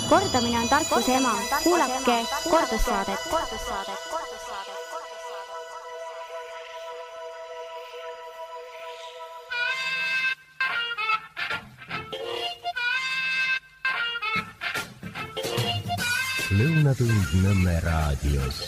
Kordamine on tarkuse ema. Kuulake kordussaadet. Lõunatund Nõmme raadios.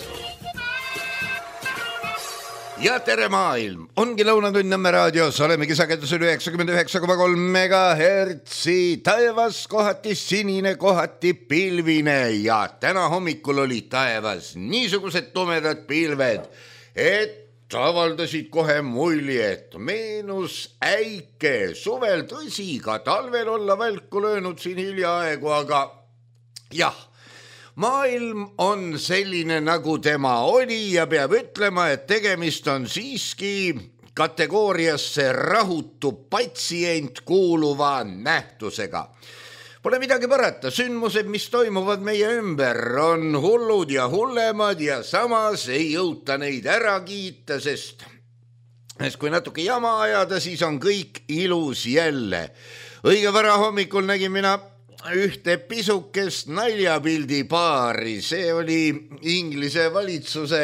Ja tere maailm, ongi Lõunatund Nõmme raadios, olemegi sagedusel 99,3 megahertsi, taevas kohati sinine, kohati pilvine ja täna hommikul oli taevas niisugused tumedad pilved, et avaldasid kohe muljet, meenus äike, suvel tõsi, ka talvel olla välku löönud siin hiljaaegu, aga jah, maailm on selline, nagu tema oli ja peab ütlema, et tegemist on siiski kategooriasse rahutu patsient kuuluva nähtusega. Pole midagi parata, sündmused, mis toimuvad meie ümber, on hullud ja hullemad ja samas ei jõuta neid ära kiita, sest kui natuke jama ajada, siis on kõik ilus jälle. Õige vara hommikul nägin mina ühte pisukest naljapildi paari, see oli Inglise valitsuse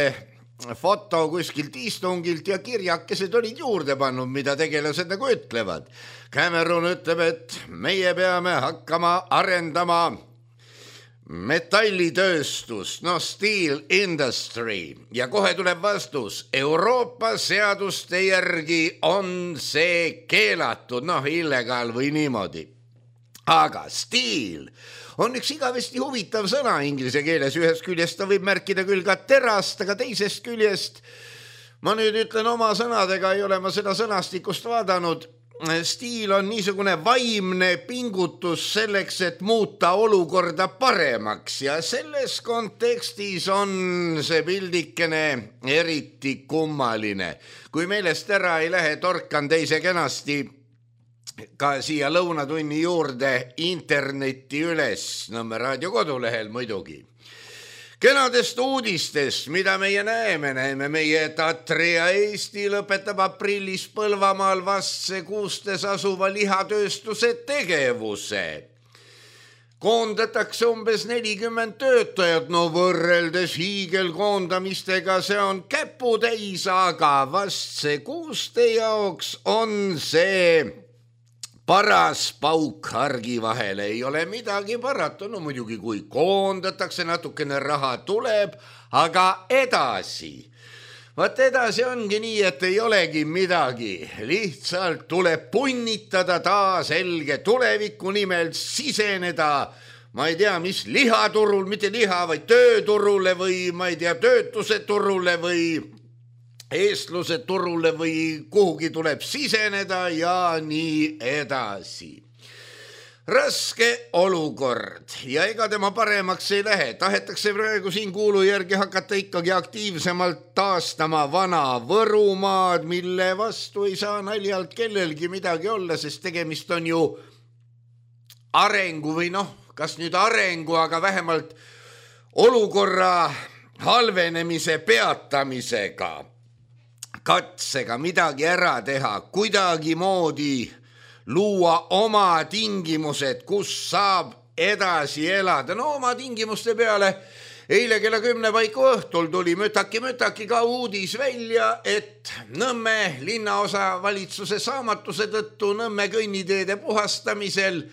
foto kuskilt istungilt ja kirjakesed olid juurde pannud, mida tegelased nagu ütlevad. Cameron ütleb, et meie peame hakkama arendama metallitööstust, steel industry ja kohe tuleb vastus, Euroopa seaduste järgi on see keelatud, illegaal või niimoodi. Aga steel on üks igavesti huvitav sõna inglise keeles, ühest küljest ta võib märkida küll ka terast, aga teisest küljest, ma nüüd ütlen oma sõnadega, ei ole ma seda sõnastikust vaadanud, stiil on niisugune vaimne pingutus selleks, et muuta olukorda paremaks ja selles kontekstis on see pildikene eriti kummaline. Kui meelest ära ei lähe, torkan teise kenasti ka siia lõunatunni juurde interneti üles, Nõmme raadio kodulehel muidugi. Kenadest uudistest, mida meie näeme meie Tatria Eesti lõpetab aprillis Põlvamaal Vasse kuustes asuva lihatööstuse tegevuse. Koondatakse umbes 40 töötajat, võrreldes hiigelkoondamistega see on käputäis, aga Vasse kuuste jaoks on see paras pauk hargi vahele, ei ole midagi parata, muidugi kui koondatakse, natukene raha tuleb, aga edasi. Vaat edasi ongi nii, et ei olegi midagi, lihtsalt tuleb punnitada taas selge tuleviku nimel siseneda, ma ei tea, mis lihaturul, mitte liha, vaid tööturule või ma ei tea, töötuse turule või eestluse turule või kuhugi tuleb siseneda ja nii edasi. Raske olukord ja ega tema paremaks ei lähe. Tahetakse praegu siin kuulu järgi hakata ikkagi aktiivsemalt taastama vana Võrumaad, mille vastu ei saa naljalt kellelgi midagi olla, sest tegemist on ju arengu või kas nüüd arengu, aga vähemalt olukorra halvenemise peatamisega. Katsega midagi ära teha, kuidagi moodi luua oma tingimused, kus saab edasi elada. Oma tingimuste peale eile kella 10 paiku õhtul tuli mütaki ka uudis välja, et Nõmme linnaosa valitsuse saamatuse tõttu Nõmme kõnniteede puhastamisel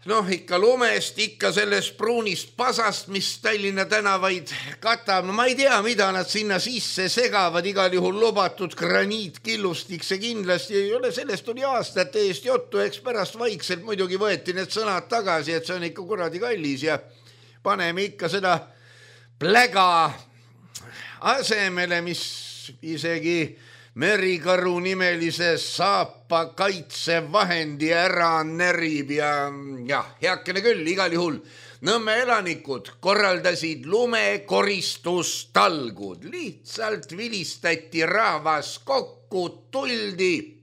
ikka lumest, ikka sellest pruunist pasast, mis Tallinna tänavaid katab. Ma ei tea, mida nad sinna sisse segavad, igal juhul lubatud graniitkillustik, see kindlasti ei ole, sellest oli aastate eest juttu, eks pärast vaikselt muidugi võeti need sõnad tagasi, et see on ikka kuradi kallis ja paneme ikka seda pläga asemele, mis isegi Merikaru nimelise saapa kaitsevahendi ära närib ja heakene küll, igal juhul Nõmme elanikud korraldasid lumekoristustalgud, lihtsalt vilistati rahvas kokku, tuldi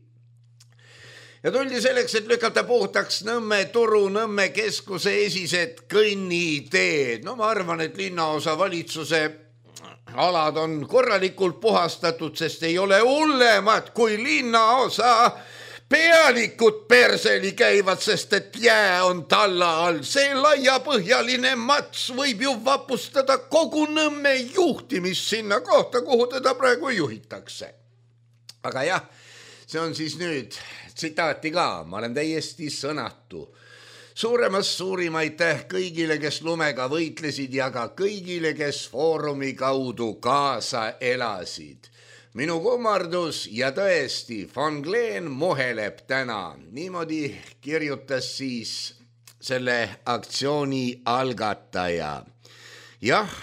selleks, et lükata puhtaks Nõmme turu, Nõmme keskuse esised kõnniteed. Ma arvan, et linnaosa valitsuse alad on korralikult puhastatud, sest ei ole hullemat kui linnaosa pealikud perseli käivad, sest et jää on talla all. See laiapõhjaline mats võib ju vapustada kogu Nõmme juhtimist sinna kohta, kuhu teda praegu juhitakse. Aga jah, see on siis nüüd tsitaati ka, ma olen täiesti sõnatu. Suurim aitäh kõigile, kes lumega võitlesid ja ka kõigile, kes foorumi kaudu kaasa elasid. Minu kummardus ja tõesti, von Gleen muheleb täna. Niimoodi kirjutas siis selle aktsiooni algataja. Jah,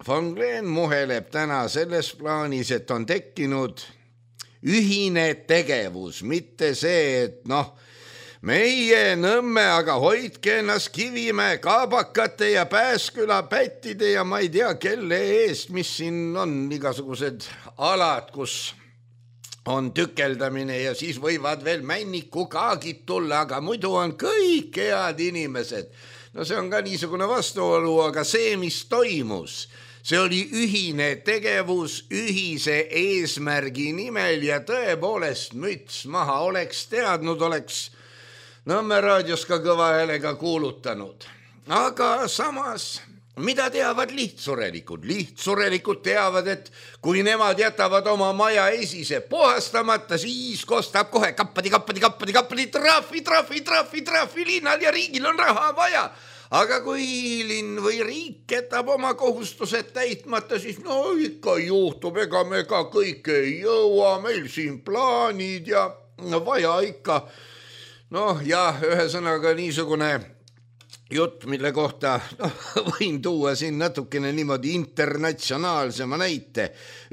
von Gleen muheleb täna selles plaanis, et on tekkinud ühine tegevus, mitte see, et meie Nõmme, aga hoidke ennast Kivimäe, Kaabakate ja Pääsküla pättide ja ma ei tea, kelle eest, mis siin on igasugused alad, kus on tükeldamine ja siis võivad veel männikukaagid tulla, aga muidu on kõik head inimesed. No see on ka niisugune vastuolu, aga see, mis toimus, see oli ühine tegevus ühise eesmärgi nimel ja tõepoolest müts maha, oleks teadnud, oleks Nõmme raadios ka kõva häälega kuulutanud. Aga samas, mida teavad lihtsurelikud? Lihtsurelikud teavad, et kui nemad jätavad oma maja esise puhastamata, siis kostab kohe kappadi, trahvi, linnal ja riigil on raha vaja. Aga kui linn või riik jätab oma kohustused täitmata, siis ikka juhtub, ega me ka kõike ei jõua, meil siin plaanid ja vaja ikka. Ühesõnaga niisugune jutt, mille kohta võin tuua siin natukene niimoodi internatsionaalsema näite.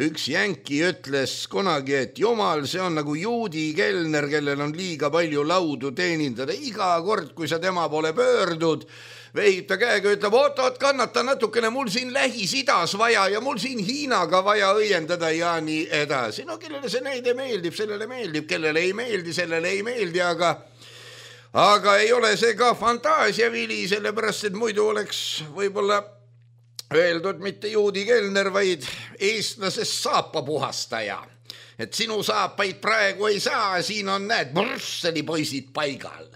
Üks jänki ütles kunagi, et jumal, see on nagu juudi kelner, kellel on liiga palju laudu teenindada. Iga kord, kui sa tema poole pöördud, vehib ta käega, ütleb, oot, kannata natukene, mul siin Lähis-Idas vaja ja mul siin Hiinaga vaja õiendada ja nii edasi. Kellele see näide meeldib, sellele meeldib, kellele ei meeldi, sellele ei meeldi, aga ei ole see ka fantaasiavili, sellepärast, et muidu oleks võib-olla öeldud mitte juudi kelner, vaid eestlasest saapapuhastaja. Et sinu saapaid praegu ei saa, siin on Brüsseli poisid paigal.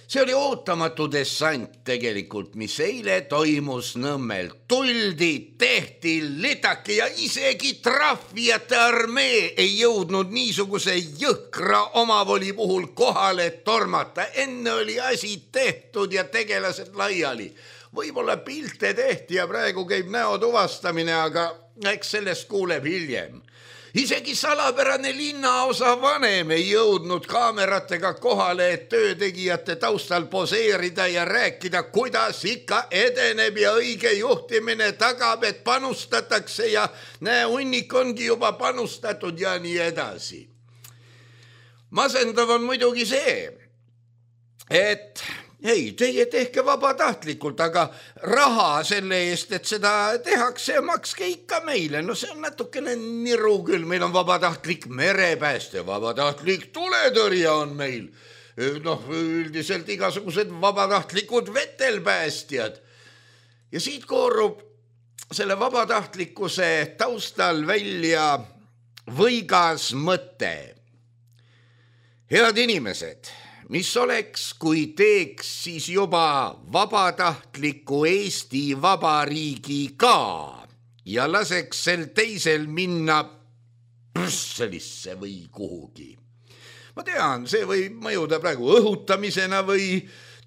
See oli ootamatu dessant tegelikult, mis eile toimus Nõmmel. Tuldi, tehti litaki ja isegi trahvijate armee ei jõudnud niisuguse jõhkra omavoli puhul kohale tormata. Enne oli asi tehtud ja tegelased laiali. Võib-olla pilte tehti ja praegu käib näo tuvastamine, aga eks sellest kuuleb hiljem. Isegi salapärane linnaosa vanem ei jõudnud kaameratega kohale, et töötegijate taustal poseerida ja rääkida, kuidas ikka edeneb ja õige juhtimine tagab, et panustatakse ja hunnik ongi juba panustatud ja nii edasi. Masendav on muidugi see, et teie tehke vabatahtlikult, aga raha selle eest, et seda tehakse, makske ikka meile. See on natukene niru küll, meil on vabatahtlik merepääste, vabatahtlik tuletõrja on meil. Üldiselt igasugused vabatahtlikud vetelpäästjad. Ja siit koorub selle vabatahtlikkuse taustal välja võigas mõte. Head inimesed, mis oleks, kui teeks siis juba vabatahtliku Eesti Vabariigi ka ja laseks sel teisel minna Brüsselisse või kuhugi. Ma tean, see võib mõjuda praegu õhutamisena või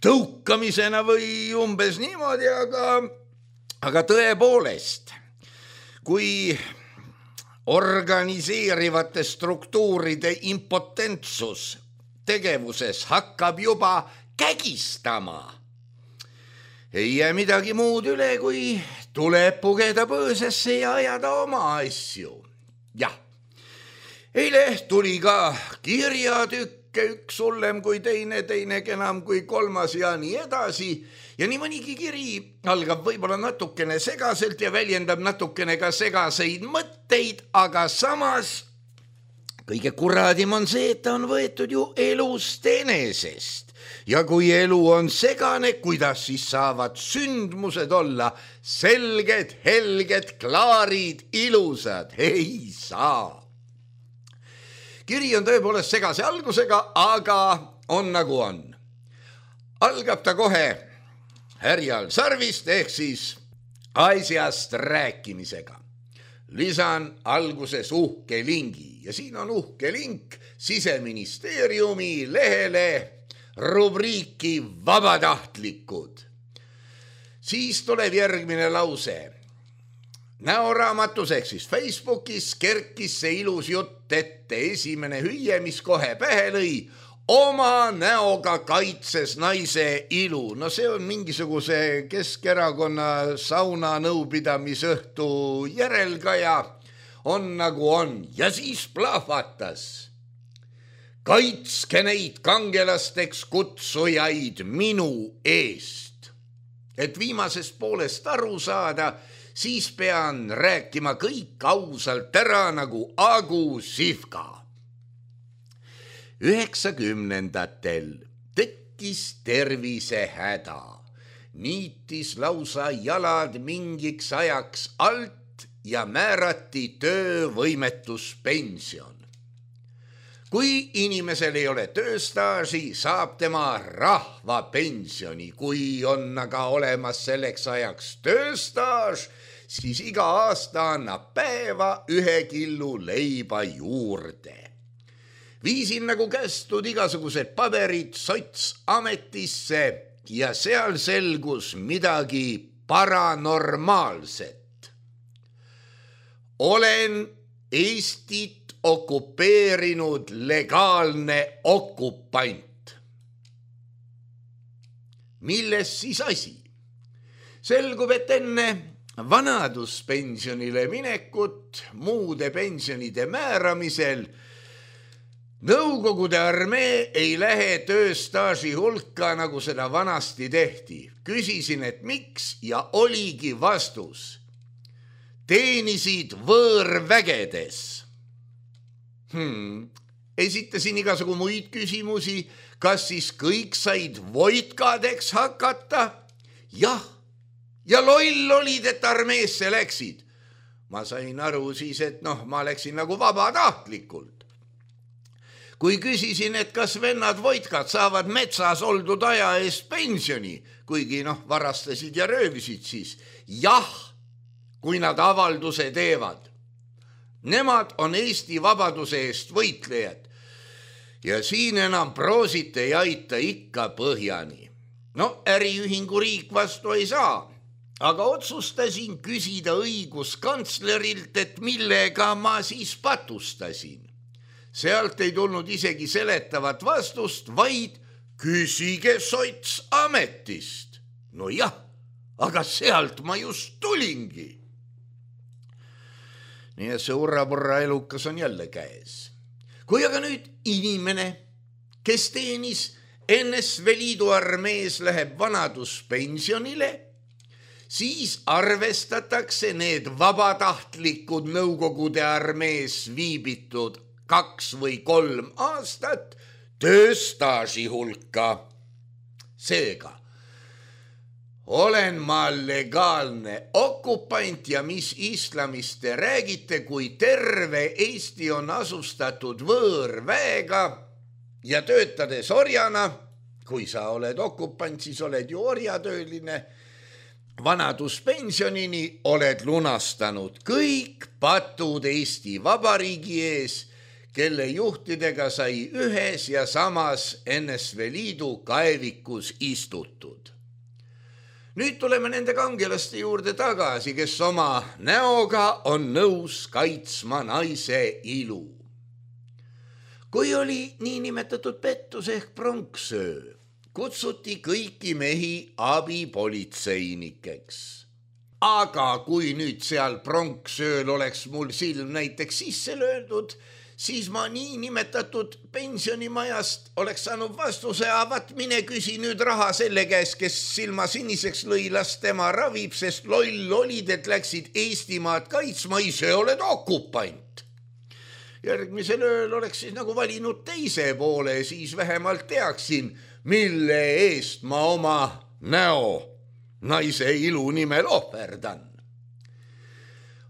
tõukamisena või umbes niimoodi, aga tõepoolest, kui organiseerivate struktuuride impotentsus tegevuses hakkab juba kägistama. Ei jää midagi muud üle, kui tuleb pugeda põõsesse ja ajada oma asju. Jah, eile tuli ka kirjatükke, üks hullem kui teine kenam kui kolmas ja nii edasi. Ja nii mõnigi kiri algab võib-olla natukene segaselt ja väljendab natukene ka segaseid mõtteid, aga samas kõige kuradim on see, et ta on võetud ju elust enesest. Ja kui elu on segane, kuidas siis saavad sündmused olla selged, helged, klaarid, ilusad? Ei saa. kiri on tõepoolest segase algusega, aga on nagu on. Algab ta kohe härjal sarvist ehk siis asjast rääkimisega. Lisan alguses uhke lingi ja siin on uhke link Siseministeeriumi lehele rubriiki vabatahtlikud. Siis tuleb järgmine lause. Näoraamatus ehk siis Facebookis kerkis see ilus jutt ette. Esimene hüüe, mis kohe pähe lõi, oma näoga kaitses naise ilu. No see on mingisuguse Keskerakonna sauna nõupidamisõhtu järelkaja. On nagu on. Ja siis plahvatas. Kaitske neid kangelasteks kutsujaid minu eest. Et viimasest poolest aru saada, siis pean rääkima kõik ausalt ära nagu Agu Sihvka. 90-ndatel tekkis tervisehäda. Niitis lausa jalad mingiks ajaks alt ja määrati töövõimetuspension. Kui inimesel ei ole tööstaaži, saab tema rahvapensioni. Kui on aga olemas selleks ajaks tööstaaž, siis iga aasta annab päeva 1 killu leiba juurde. Viisin nagu kästud igasugused paberid Sotsametisse ja seal selgus midagi paranormaalset. Olen Eestit okupeerinud legaalne okupant. Milles siis asi? Selgub, et enne vanaduspensionile minekut muude pensionide määramisel Nõukogude armee ei lähe tööstaaži hulka, nagu seda vanasti tehti. Küsisin, et miks ja oligi vastus. Teenisid võõrvägedes. Esitasin igasugu muid küsimusi, kas siis kõik said voitkadeks hakata? Jah, ja loll olid, et armeesse läksid. Ma sain aru siis, et ma läksin nagu vabatahtlikult. Kui küsisin, et kas vennad voitkad saavad metsas oldud aja eest pensioni, kuigi varastasid ja röövisid siis, jah, kui nad avalduse teevad. Nemad on Eesti vabaduse eest võitlejad ja siin enam proosit ei aita ikka põhjani. Äriühingu riik vastu ei saa, aga otsustasin küsida õiguskantslerilt, et millega ma siis patustasin. Sealt ei tulnud isegi seletavat vastust, vaid küsige Sotsametist. No jah, aga sealt ma just tulingi. Nii et see urrapurra elukas on jälle käes. Kui aga nüüd inimene, kes teenis NSV Liidu armees, läheb vanaduspensionile, siis arvestatakse need vabatahtlikud Nõukogude armees viibitud 2 või 3 aastat tööstaaži hulka. Seega, olen ma legaalne okupant ja mis islamist te räägite, kui terve Eesti on asustatud võõrväega ja töötades orjana, kui sa oled okupant, siis oled ju orjatööline, vanaduspensionini oled lunastanud kõik patud Eesti Vabariigi ees, kelle juhtidega sai ühes ja samas NSV Liidu kaevikus istutud. Nüüd tuleme nende kangelaste juurde tagasi, kes oma näoga on nõus kaitsma naise ilu. Kui oli niinimetatud pettus ehk pronksöö, kutsuti kõiki mehi abipolitseinikeks. Aga kui nüüd seal pronksööl oleks mul silm näiteks sisse löödud, siis ma niinimetatud pensionimajast oleks saanud vastuse, vaat mine küsi nüüd raha selle käes, kes silma siniseks lõi, las tema ravib, sest loll olid, et läksid Eestimaad kaitsma, ise oled okupant. Järgmisel ööl oleks siis nagu valinud teise poole, siis vähemalt teaksin, mille eest ma oma näo naise ilu nimel ohverdan.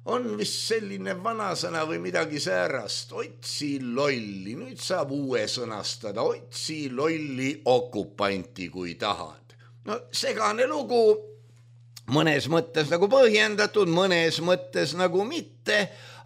on vist selline vanasõna või midagi säärast. Otsi lolli, nüüd saab uue sõnastada. Otsi lolli okupanti, kui tahad. No segane lugu, mõnes mõttes nagu põhjendatud, mõnes mõttes nagu mitte,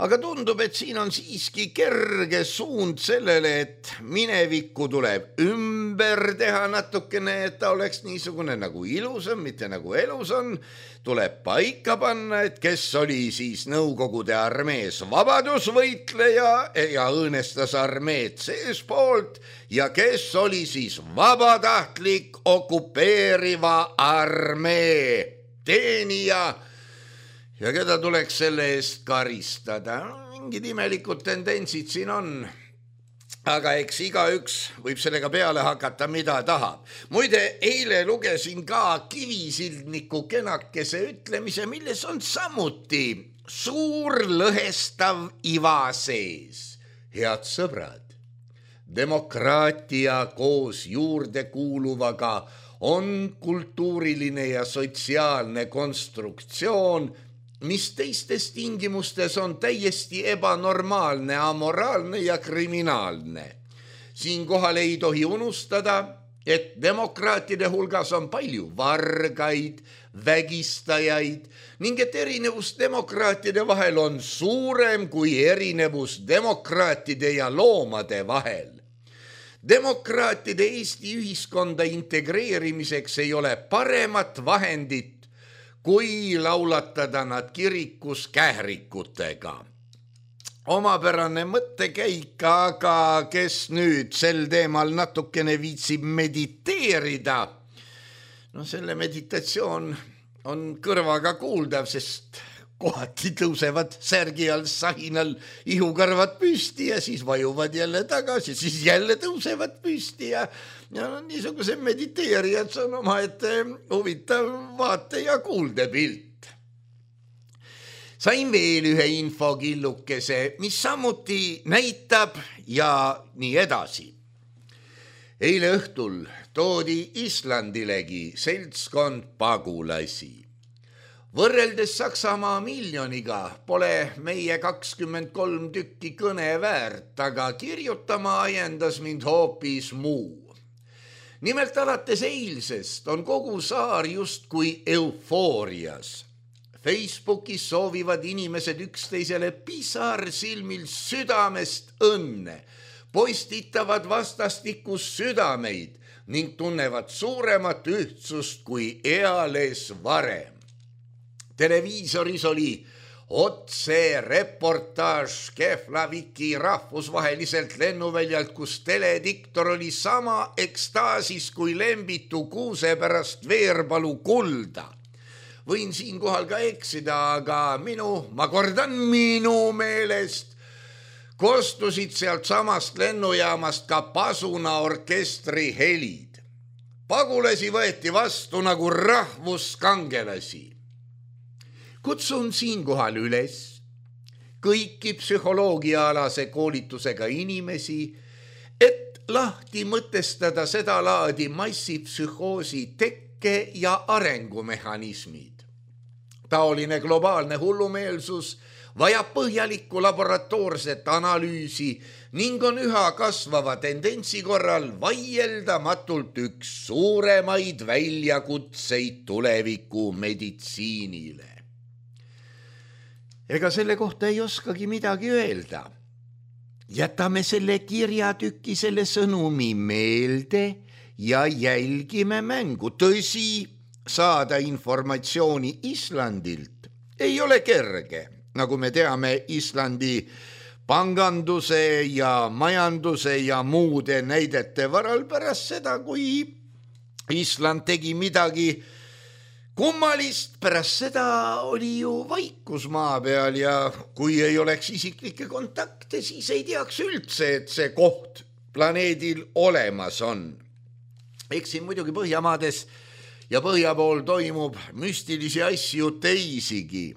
aga tundub, et siin on siiski kerge suund sellele, et minevikku tuleb ümber teha natukene, et ta oleks niisugune nagu ilusam, mitte nagu elus on. Tuleb paika panna, et kes oli siis Nõukogude armees vabadusvõitleja ja õõnestas armeed seespoolt ja kes oli siis vabatahtlik okupeeriva armee teenija ja keda tuleks selle eest karistada. Mingid imelikud tendentsid siin on, aga eks igaüks võib sellega peale hakata, mida tahab. Muide, eile lugesin ka Kivisildniku kenakese ütlemise, milles on samuti suur lõhestav iva sees. Head sõbrad, demokraatia koos juurde kuuluvaga on kultuuriline ja sotsiaalne konstruktsioon, mis teistes tingimustes on täiesti ebanormaalne, amoraalne ja kriminaalne. Siinkohal ei tohi unustada, et demokraatide hulgas on palju vargaid, vägistajaid ning et erinevus demokraatide vahel on suurem kui erinevus demokraatide ja loomade vahel. Demokraatide Eesti ühiskonda integreerimiseks ei ole paremat vahendit, kui laulatada nad kirikus kährikutega. Omapärane mõttekäik, aga kes nüüd sel teemal natukene viitsib mediteerida, no selle meditatsioon on kõrvaga kuuldav, sest kohati tõusevad särgi all sahinal ihukarvad püsti ja siis vajuvad jälle tagasi, siis jälle tõusevad püsti ja niisuguse mediteerijad on omaette huvitav vaate- ja kuuldepilt. Sain veel ühe infokillukese, mis samuti näitab ja nii edasi. Eile õhtul toodi Islandilegi seltskond pagulasi. Võrreldes Saksamaa miljoniga pole meie 23 tükki kõne väärt, aga kirjutama ajendas mind hoopis muu. Nimelt alates eilsest on kogu saar justkui eufoorias. Facebookis soovivad inimesed üksteisele pisarsilmil südamest õnne, postitavad vastastikus südameid ning tunnevad suuremat ühtsust kui eales varem. Televiisoris oli otse reportaaž Keflaviki rahvusvaheliselt lennuväljalt, kus telediktor oli sama ekstaasis kui lembitu kuuse pärast Veerpalu kulda. Võin siinkohal ka eksida, aga ma kordan minu meelest, kostusid sealt samast lennujaamast ka Pasuna orkestri helid. Pagulasi võeti vastu nagu rahvuskangelasi. Kutsun siinkohal üles kõiki psühholoogiaalase koolitusega inimesi, et lahti mõtestada seda laadi massipsühhoosi tekke ja arengumehhanismid. Taoline globaalne hullumeelsus vajab põhjalikku laboratoorset analüüsi ning on üha kasvava tendentsi korral vaieldamatult üks suuremaid väljakutseid tuleviku meditsiinile. Ega selle kohta ei oskagi midagi öelda. Jätame selle kirjatüki, selle sõnumi meelde ja jälgime mängu. Tõsi, saada informatsiooni Islandilt ei ole kerge. Nagu me teame, Islandi panganduse ja majanduse ja muude näidete varal pärast seda, kui Island tegi midagi kummalist, pärast seda oli ju vaikus maa peal ja kui ei oleks isiklikke kontakte, siis ei teaks üldse, et see koht planeedil olemas on. Eks siin muidugi Põhjamaades ja põhja pool toimub müstilisi asju teisigi.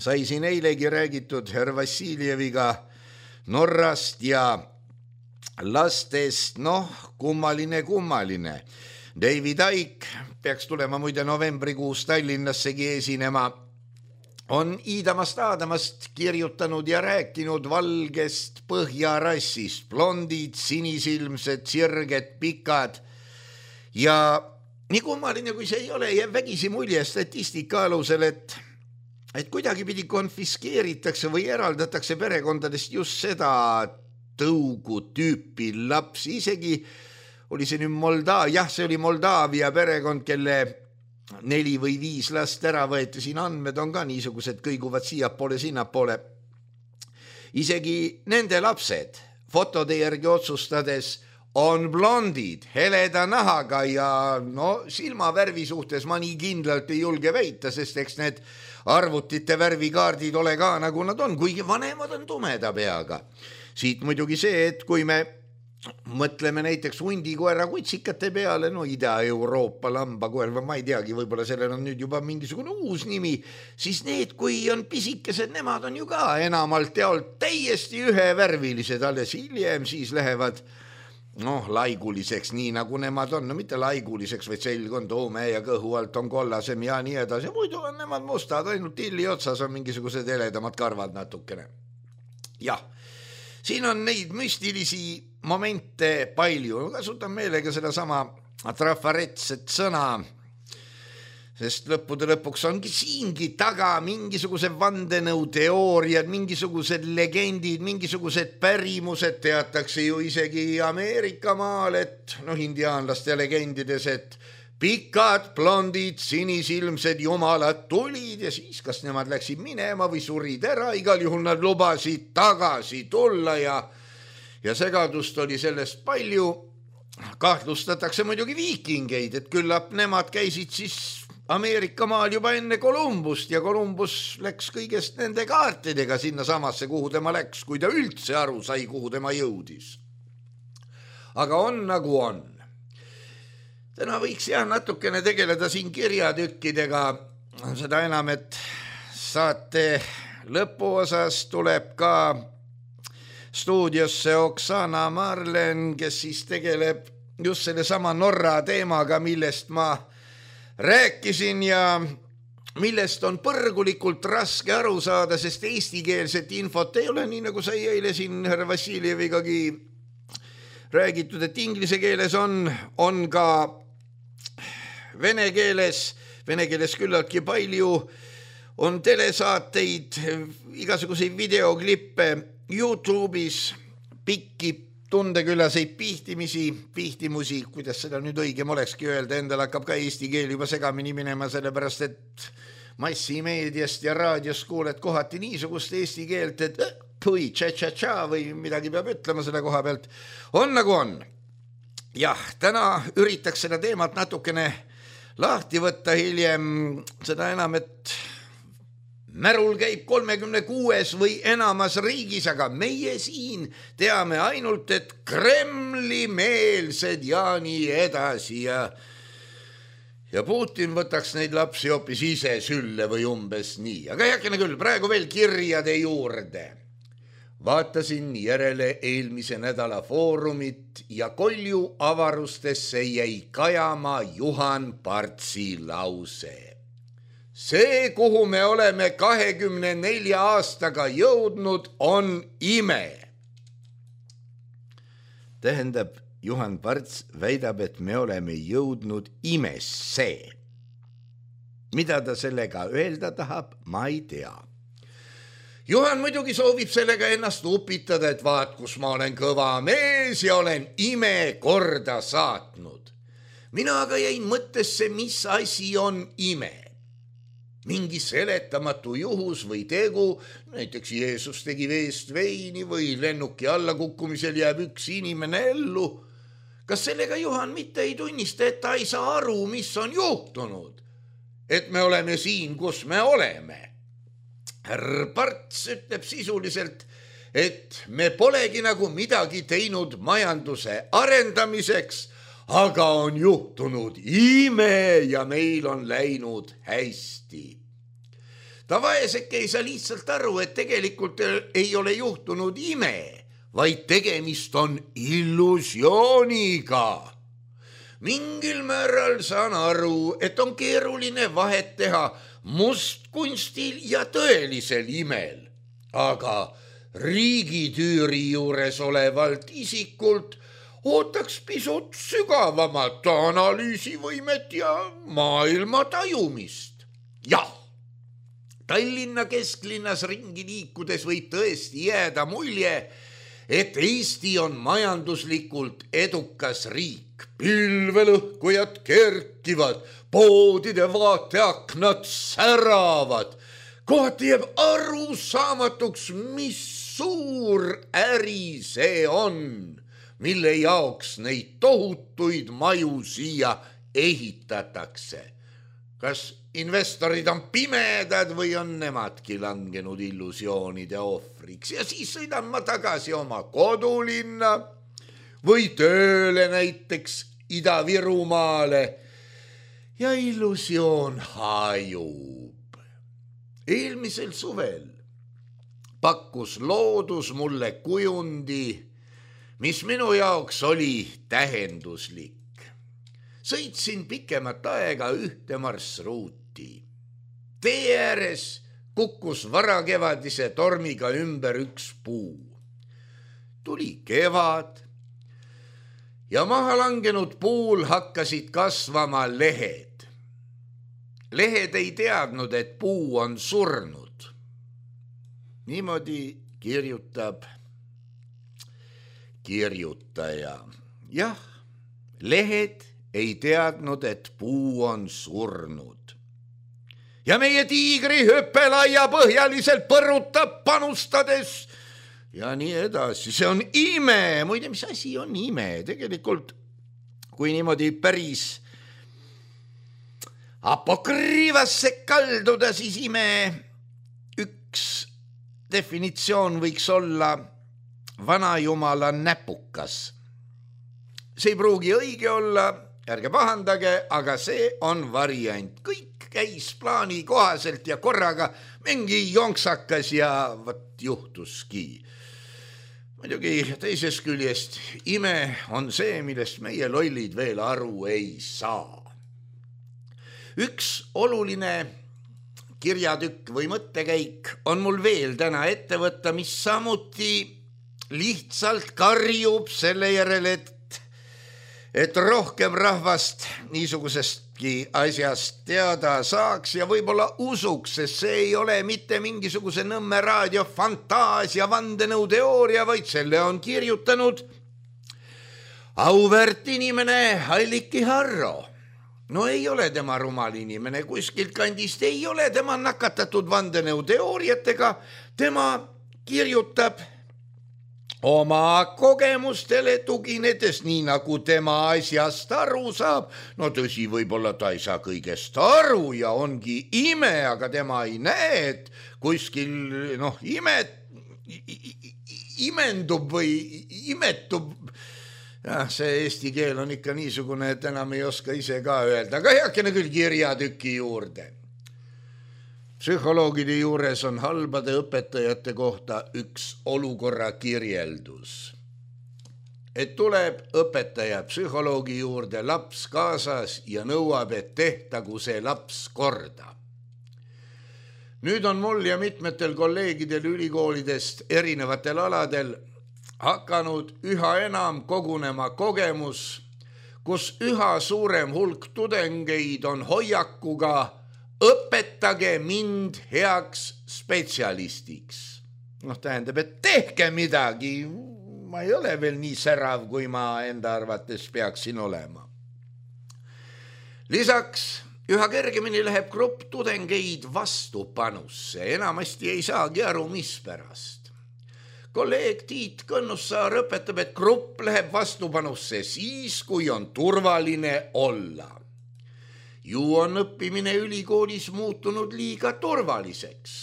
Sai siin eilegi räägitud Herr Vassiljeviga Norrast ja lastest, kummaline. David Icke peaks tulema muide novembrikuus Tallinnassegi esinema on Iidamast Aadamast kirjutanud ja rääkinud valgest põhjarassist, blondid, sinisilmsed, sirged, pikad ja nii kummaline, kui see ei ole, jääb vägisi mulje statistika alusel, et kuidagipidi konfiskeeritakse või eraldatakse perekondadest just seda tõugu tüüpi lapsi, isegi oli see nüüd see oli Moldaavia perekond, kelle 4 või 5 last ära võeti, siin andmed on ka niisugused, kõiguvad siiapoole, sinnapoole. Isegi nende lapsed fotode järgi otsustades on blondid, heleda nahaga ja silmavärvi suhtes ma nii kindlalt ei julge väita, sest eks need arvutite värvikaardid ole ka nagu nad on, kuigi vanemad on tumeda peaga. Siit muidugi see, et kui me mõtleme näiteks hundikoera kutsikate peale, Ida-Euroopa lambakoer, ma ei teagi, võib-olla sellel on nüüd juba mingisugune uus nimi, siis need, kui on pisikesed, nemad on ju ka enamalt jaolt täiesti ühevärvilised, alles hiljem siis lähevad laiguliseks, nii nagu nemad on, mitte laiguliseks, vaid selg on toome ja kõhu alt on kollasem ja nii edasi, muidu on nemad mustad, ainult tilli otsas on mingisugused heledamad karvad natukene. Jah, siin on neid müstilisi momente palju, kasutan meelega seda sama trafaretset sõna, sest lõppude lõpuks ongi siingi taga mingisuguse vandenõuteooriad, mingisugused legendid, mingisugused pärimused, teatakse ju isegi Ameerika maal, et indiaanlaste legendides, et pikad, blondid, sinisilmsed jumalad tulid ja siis kas nemad läksid minema või surid ära, igal juhul nad lubasid tagasi tulla ja segadust oli sellest palju. Kahtlustatakse muidugi viikingeid, et küllap nemad käisid siis Ameerika maal juba enne Kolumbust ja Kolumbus läks kõigest nende kaartidega sinna samasse, kuhu tema läks, kui ta üldse aru sai, kuhu tema jõudis. Aga on nagu on. Täna võiks natukene tegeleda siin kirjatükkidega, seda enam, et saate lõpuosas tuleb ka stuudiosse Oksana Marlen, kes siis tegeleb just selle sama Norra teemaga, millest ma rääkisin ja millest on põrgulikult raske aru saada, sest eestikeelset infot ei ole, nii nagu sai eile siin härra Vassiljevigagi räägitud, et inglise keeles on ka vene keeles küllaltki palju, on telesaateid, igasuguseid videoklippe YouTube'is, pikki tundeküllaseid pihtimusi, kuidas seda nüüd õigem olekski öelda, endal hakkab ka eesti keel juba segamini minema, sellepärast et massimeediast ja raadios kuuled kohati niisugust eesti keelt, et pui, tša-tša-tša või midagi peab ütlema selle koha pealt. On nagu on. Jah, täna üritaks seda teemat natukene lahti võtta hiljem, seda enam, et märul käib 36 või enamas riigis, aga meie siin teame ainult, et Kremli meelsed ja nii edasi ja Putin võtaks neid lapsi hoopis ise sülle või umbes nii. Aga heakene küll, praegu veel kirjade juurde. Vaatasin järele eelmise nädala foorumit ja Kolju avarustesse jäi kajama Juhan Partsi lause. See, kuhu me oleme 24 aastaga jõudnud, on ime. Tähendab, Juhan Parts väidab, et me oleme jõudnud imesse. Mida ta sellega öelda tahab, ma ei tea. Juhan muidugi soovib sellega ennast upitada, et vaat, kus ma olen kõva mees ja olen ime korda saatnud. Mina aga jäin mõttesse, mis asi on ime. Mingi seletamatu juhus või tegu, näiteks Jeesus tegi veest veini või lennuki allakukkumisel jääb üks inimene ellu. Kas sellega Juhan mitte ei tunnista, et ta ei saa aru, mis on juhtunud? Et me oleme siin, kus me oleme. Härra Parts ütleb sisuliselt, et me polegi nagu midagi teinud majanduse arendamiseks, aga on juhtunud ime ja meil on läinud hästi. Ta vaeseke ei saa lihtsalt aru, et tegelikult ei ole juhtunud ime, vaid tegemist on illusiooniga. Mingil määral saan aru, et on keeruline vahet teha mustkunstil ja tõelisel imel, aga riigitüüri juures olevalt isikult ootaks pisut sügavamat analüüsivõimet ja maailma tajumist. Jah, Tallinna kesklinnas ringi liikudes võib tõesti jääda mulje, et Eesti on majanduslikult edukas riik. Pilvelõhkujad kerkivad, poodide vaateaknad säravad. Kohati jääb arusaamatuks, mis suur äri see on, mille jaoks neid tohutuid maju siia ehitatakse. Kas investorid on pimedad või on nemadki langenud illusioonide ohvriks ja siis sõidan ma tagasi oma kodulinna või tööle näiteks Ida-Virumaale ja illusioon hajub. Eelmisel suvel pakkus loodus mulle kujundi, mis minu jaoks oli tähenduslik. Sõitsin pikemat aega ühte marsruuti. Tee ääres kukkus varakevadise tormiga ümber üks puu. Tuli kevad ja maha langenud puul hakkasid kasvama lehed. Lehed ei teadnud, et puu on surnud. Niimoodi kirjutab kirjutaja. Jah, lehed ei teadnud, et puu on surnud. Ja meie tiigri hüppelaia põhjaliselt põrutab panustades ja nii edasi. See on ime. Muide, mis asi on ime? Tegelikult, kui niimoodi päris apokrüüvasse kalduda, siis ime üks definitsioon võiks olla vanajumala näpukas. See ei pruugi õige olla, ärge pahandage, aga see on variant. Kõik käis plaani kohaselt ja korraga mingi jonksakas ja võt juhtuski. Muidugi teisest küljest ime on see, millest meie lollid veel aru ei saa. Üks oluline kirjatükk või mõttekäik on mul veel täna ette võtta, mis samuti lihtsalt karjub selle järele, et rohkem rahvast niisugusestki asjast teada saaks ja võib-olla usuks, sest see ei ole mitte mingisuguse Nõmme raadio fantaasia vandenõuteooria, vaid selle on kirjutanud auväärt inimene Alliki Harro. No ei ole tema rumal inimene kuskilt kandist, ei ole tema nakatatud vandenõuteooriatega, tema kirjutab oma kogemustele tuginedes, nii nagu tema asjast aru saab. No tõsi, võib-olla ta ei saa kõigest aru ja ongi ime, aga tema ei näe, et kuskil imendub või imetub. Ja, see eesti keel on ikka niisugune, et enam ei oska ise ka öelda, aga heakene küll kirjatüki juurde. Psühholoogide juures on halbade õpetajate kohta üks olukorra kirjeldus. Et tuleb õpetaja psühholoogi juurde laps kaasas ja nõuab, et tehtagu see laps korda. Nüüd on mul ja mitmetel kolleegidel ülikoolidest erinevatel aladel hakanud üha enam kogunema kogemus, kus üha suurem hulk tudengeid on hoiakuga õpetage mind heaks spetsialistiks. Tähendab, et tehke midagi. Ma ei ole veel nii särav, kui ma enda arvates peaksin olema. Lisaks üha kergemini läheb grupp tudengeid vastupanusse. Enamasti ei saagi aru, mis pärast. Kolleeg Tiit Kõnnussaar õpetab, et grupp läheb vastupanusse siis, kui on turvaline olla. Ju on õppimine ülikoolis muutunud liiga turvaliseks.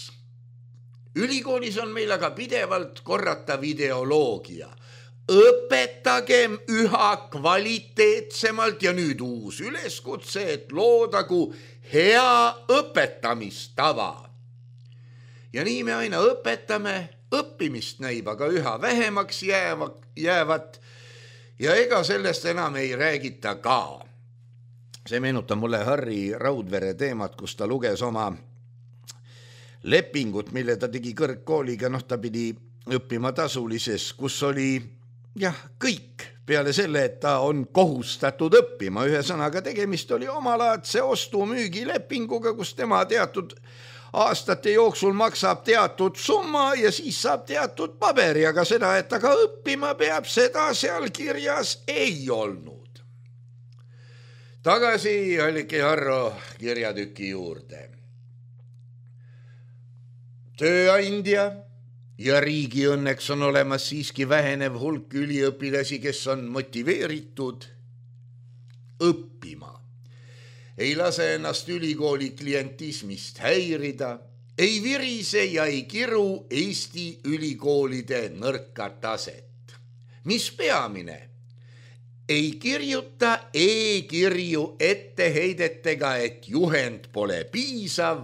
Ülikoolis on meil aga pidevalt korratav ideoloogia. Õpetagem üha kvaliteetsemalt ja nüüd uus üleskutse, et loodagu hea õpetamistava. Ja nii me aina õpetame, õppimist näib aga üha vähemaks jäävat ja ega sellest enam ei räägita ka. See meenutab mulle Harri Raudvere teemat, kus ta luges oma lepingut, mille ta tegi kõrgkooliga, ta pidi õppima tasulises, kus oli kõik peale selle, et ta on kohustatud õppima. Ühesõnaga tegemist oli omalaadse ostu-müügilepinguga, kus tema teatud aastate jooksul maksab teatud summa ja siis saab teatud paberi, aga seda, et ta ka õppima peab, seda seal kirjas ei olnud. Tagasi Alliki Harro kirjatüki juurde. Tööandja ja riigi õnneks on olemas siiski vähenev hulk üliõpilasi, kes on motiveeritud õppima. Ei lase ennast ülikooli klientismist häirida, ei virise ja ei kiru Eesti ülikoolide nõrka taset. Mis peamine? Ei kirjuta e-kirju etteheidetega, et juhend pole piisav,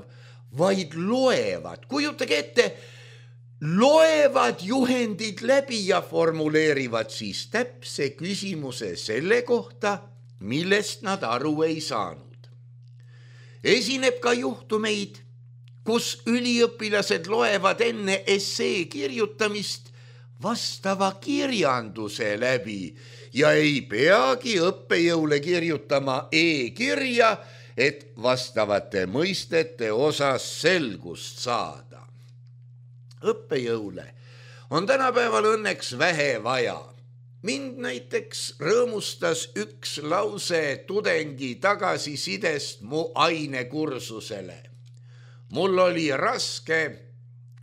vaid loevad. Kujutage ette, loevad juhendid läbi ja formuleerivad siis täpse küsimuse selle kohta, millest nad aru ei saanud. Esineb ka juhtumeid, kus üliõpilased loevad enne essee kirjutamist vastava kirjanduse läbi ja ei peagi õppejõule kirjutama e-kirja, et vastavate mõistete osas selgust saada. Õppejõule on tänapäeval õnneks vähe vaja. Mind näiteks rõõmustas üks lause tudengi tagasisidest mu ainekursusele. Mul oli raske,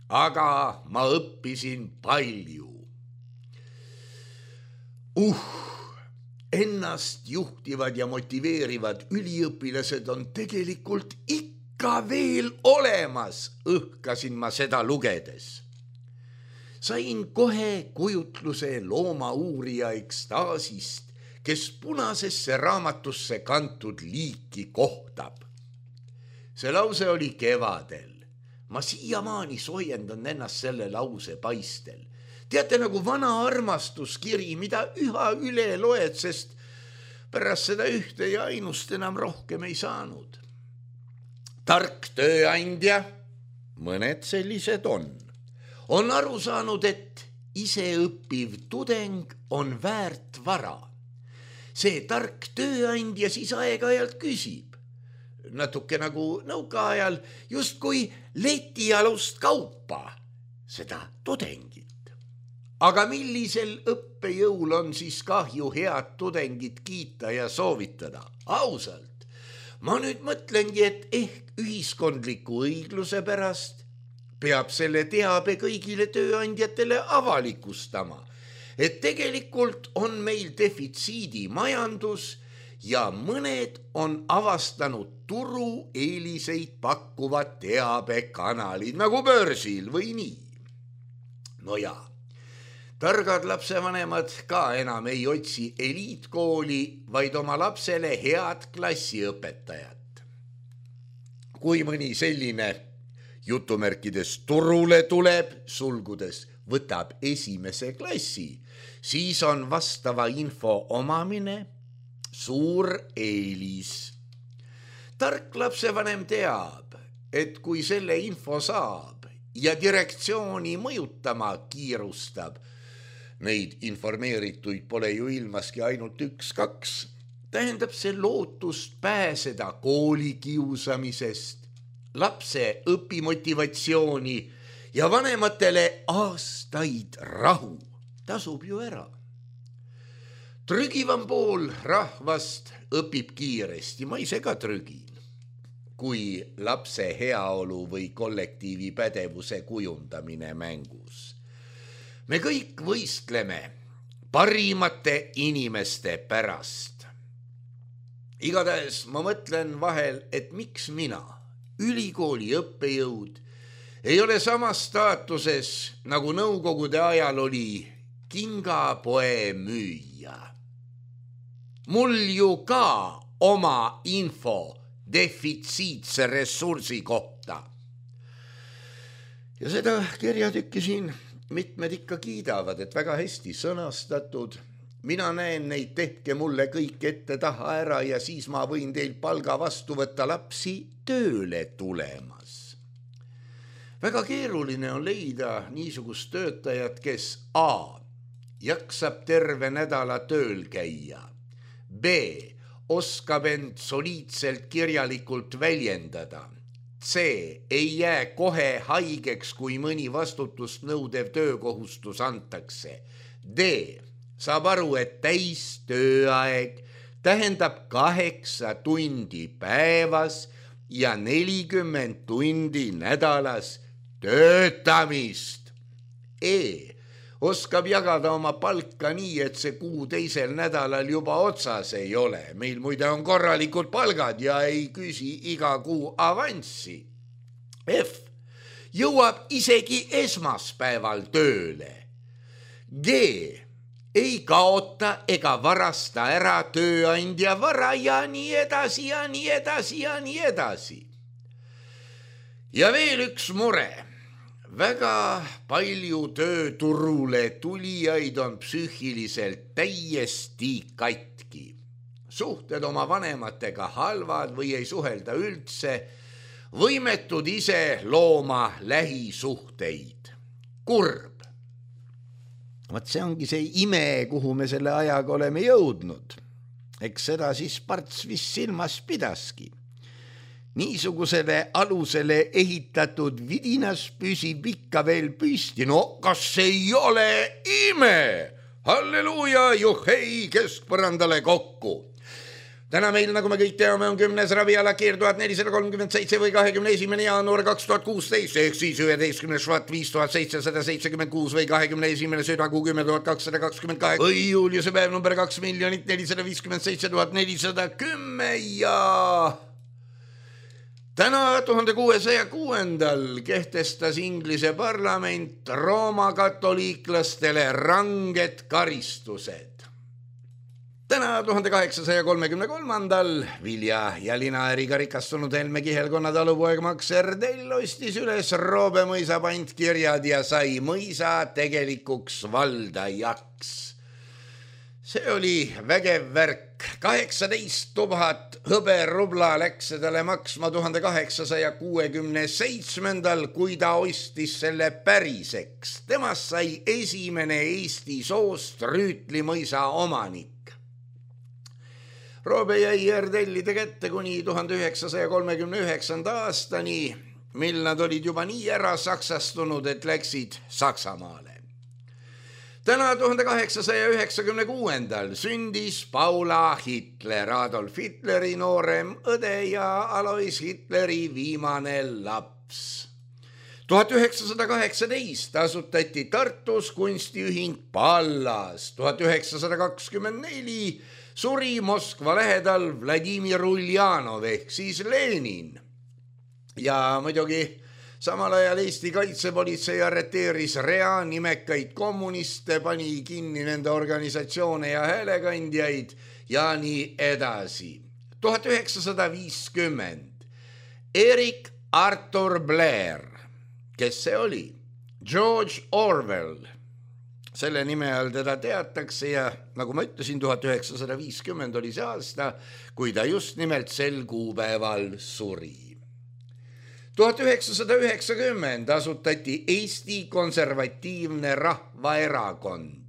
aga ma õppisin palju. Ennast juhtivad ja motiveerivad üliõpilased on tegelikult ikka veel olemas, õhkasin ma seda lugedes. Sain kohe kujutluse loomauurija ekstaasist, kes punasesse raamatusse kantud liiki kohtab. See lause oli kevadel. Ma siiamaani soojendan ennast selle lause paistel. Teate, nagu vana armastuskiri, mida üha üle loed, sest pärast seda ühte ja ainust enam rohkem ei saanud. Tark tööandja, mõned sellised on aru saanud, et iseõppiv tudeng on väärt vara. See tark tööandja siis aeg-ajalt küsib, natuke nagu nõukaajal, justkui letialust kaupa, seda tudengit. Aga millisel õppejõul on siis kahju head tudengit kiita ja soovitada? Ausalt, ma nüüd mõtlengi, et ehk ühiskondliku õigluse pärast peab selle teabe kõigile tööandjatele avalikustama, et tegelikult on meil defitsiidi majandus ja mõned on avastanud turu eeliseid pakkuvad teabekanalid nagu börsil või nii. No jaa. Targad lapsevanemad ka enam ei otsi eliitkooli, vaid oma lapsele head klassiõpetajat. Kui mõni selline jutumärkides turule tuleb, sulgudes võtab esimese klassi, siis on vastava info omamine suur eelis. Tark lapsevanem teab, et kui selle info saab ja direktsiooni mõjutama kiirustab, neid informeerituid pole ju ilmaski ainult 1-2, tähendab see lootust pääseda koolikiusamisest, lapse õpimotivatsiooni ja vanematele aastaid rahu tasub ju ära. Trügivam pool rahvast õpib kiiresti, ma ise ka trügin, kui lapse heaolu või kollektiivi pädevuse kujundamine mängus. Me kõik võistleme parimate inimeste pärast. Igatahes ma mõtlen vahel, et miks mina, ülikooli õppejõud, ei ole samas staatuses, nagu nõukogude ajal oli kingapoe müüja. Mul ju ka oma info defitsiitse ressursi kohta. Ja seda kirjatükki siin mitmed ikka kiidavad, et väga hästi sõnastatud. Mina näen neid, tehke mulle kõik ette taha ära ja siis ma võin teil palga vastu võtta lapsi tööle tulemas. Väga keeruline on leida niisugust töötajat, kes A. jaksab terve nädala tööl käia, B. oskab end soliidselt kirjalikult väljendada, C. ei jää kohe haigeks, kui mõni vastutust nõudev töökohustus antakse, D. saab aru, et täis tööaeg tähendab 8 tundi päevas ja 40 tundi nädalas töötamist. E. oskab jagada oma palka nii, et see kuu teisel nädalal juba otsas ei ole. Meil muide on korralikud palgad ja ei küsi iga kuu avanssi. F. jõuab isegi esmaspäeval tööle. G. ei kaota ega varasta ära tööandja vara ja nii edasi ja nii edasi ja nii edasi. Ja veel üks mure. Väga palju tööturule tulijaid on psüühiliselt täiesti katki. Suhted oma vanematega halvad või ei suhelda üldse, võimetud ise looma lähisuhteid. Kurb. Vaat see ongi see ime, kuhu me selle ajaga oleme jõudnud. Eks seda siis Parts vist silmas pidaski. Niisugusele alusele ehitatud vidinas püsib ikka veel püsti. No kas ei ole ime? Halleluuja, juhhei, keskpõrandale kokku. Täna meil, nagu me kõik teame, on 10. ravialakeer 1437 või 21. jaanuar 2016 ehk siis 11. švat 5776 või 21. südakuu 10 228 või juuliuse päev number 2 457 410 ja täna 1606. kehtestas Inglise parlament Rooma katoliiklastele ranged karistused. Täna 1833. vilja- ja linaäriga rikastunud Helme Kihelkonna talupoeg Max Erdell ostis üles Roobe mõisa pantkirjad ja sai mõisa tegelikuks valdajaks. See oli vägev värk. 18 000 hõberubla läks talle maksma 1867, kui ta ostis selle päriseks. Temast sai esimene Eesti soost Rüütli mõisa omanik. Roobe jäi Erdellide kätte kuni 1939. aastani, mil nad olid juba nii ära saksastunud, et läksid Saksamaale. Täna 1896. sündis Paula Hitler, Adolf Hitleri noorem õde ja Alois Hitleri viimane laps. 1918 asutati Tartus kunstiühing Pallas. 1924 suri Moskva lähedal Vladimir Uljanov ehk siis Lenin. Ja muidugi samal ajal Eesti kaitsepolitsei arreteeris rea nimekaid kommuniste, pani kinni nende organisatsioone ja häälekandjaid ja nii edasi. 1950 Eric Arthur Blair, kes see oli? George Orwell. Selle nime all teda teatakse ja nagu ma ütlesin, 1950 oli see aasta, kui ta just nimelt sel kuupäeval suri. 1990 asutati Eesti Konservatiivne Rahvaerakond.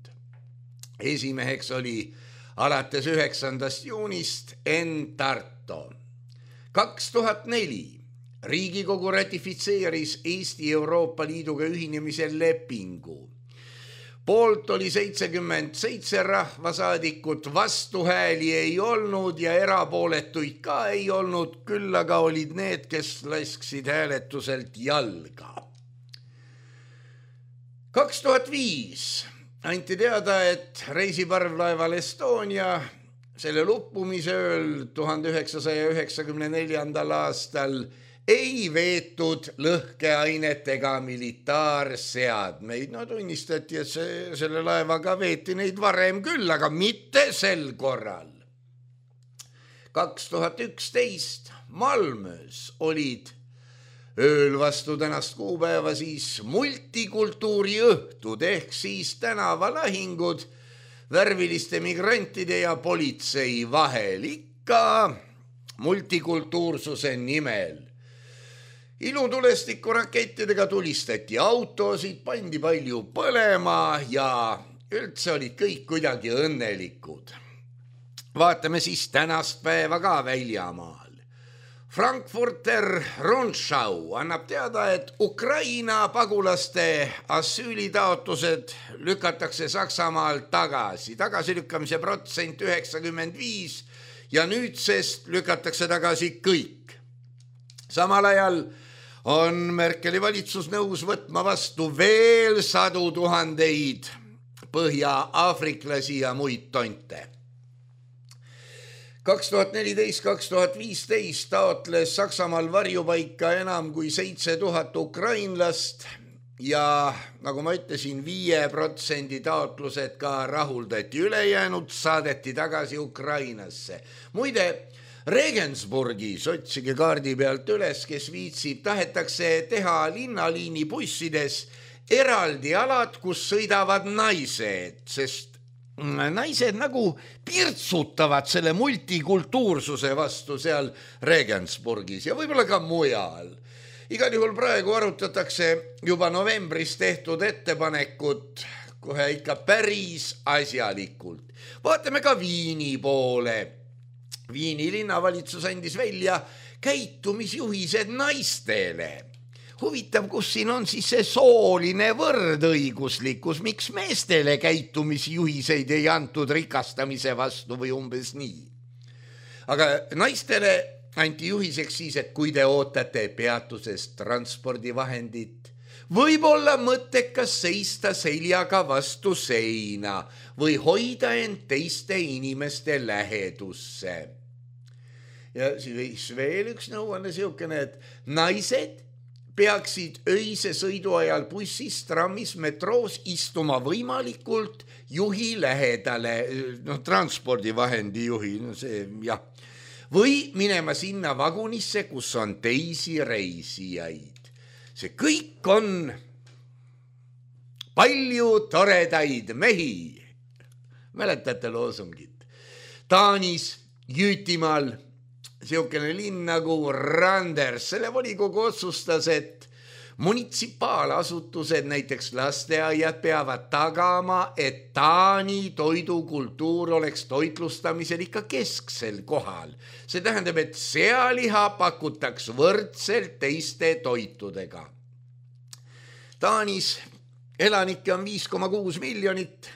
Esimeheks oli alates 9. juunist Enn Tarto. 2004 Riigikogu ratifitseeris Eesti Euroopa Liiduga ühinemise lepingu. Poolt oli 77 rahvasaadikut, vastuhääli ei olnud ja erapooletuid ka ei olnud, küll aga olid need, kes lasksid hääletuselt jalga. 2005 anti teada, et reisiparvlaeval Estonia selle luppumise ööl 1994. aastal ei veetud lõhkeainetega militaarseadmeid. No tunnistati, et selle laevaga veeti neid varem küll, aga mitte sel korral. 2011 Malmös olid ööl vastu tänast kuupäeva siis multikultuuriõhtud ehk siis tänavalahingud värviliste migrantide ja politsei vahel, ikka multikultuursuse nimel. ilutulestiku rakettidega tulistati autosid, pandi palju põlema ja üldse olid kõik kuidagi õnnelikud. Vaatame siis tänast päeva ka väljamaal. Frankfurter Rundschau annab teada, et Ukraina pagulaste asüülitaotlused lükatakse Saksamaal tagasi. Tagasilükkamise protsent 95 ja nüüdsest lükatakse tagasi kõik. Samal ajal on Merkeli valitsus nõus võtma vastu veel 100 000 põhja-aafriklasi ja muid tonte. 2014-2015 taotles Saksamaal varjupaika enam kui 7000 ukrainlast ja nagu ma ütlesin, 5% taotlused ka rahuldati, ülejäänud saadeti tagasi Ukrainasse. Muide, Regensburgis, otsige kaardi pealt üles, kes viitsib, tahetakse teha linnaliini bussides eraldi alad, kus sõidavad naised, sest naised nagu pirtsutavad selle multikultuursuse vastu seal Regensburgis ja võib-olla ka mujal. Igal juhul praegu arutatakse juba novembris tehtud ettepanekut kohe ikka päris asjalikult. Vaatame ka Viini poole. Viini linnavalitsus andis välja käitumisjuhised naistele. Huvitav, kus siin on siis see sooline võrdõiguslikkus, miks meestele käitumisjuhiseid ei antud rikastamise vastu või umbes nii. Aga naistele anti juhiseks siis, et kui te ootate peatuses transpordivahendit, võib olla mõttekas seista seljaga vastu seina või hoida end teiste inimeste lähedusse. Ja siis veel üks nõuanne siukene, et naised peaksid öise sõidu ajal bussis, trammis, metroos istuma võimalikult juhi lähedale, transpordivahendi juhi, see jah, või minema sinna vagunisse, kus on teisi reisijaid. See kõik on palju toredaid mehi. Mäletate loosungit? Taanis, Jüütimaal, siukene linn nagu Randers, selle volikogu otsustas, et munitsipaalasutused, näiteks lasteaiad peavad tagama, et Taani toidukultuur oleks toitlustamisel ikka kesksel kohal. See tähendab, et sealiha pakutaks võrdselt teiste toitudega. Taanis elanikke on 5,6 miljonit,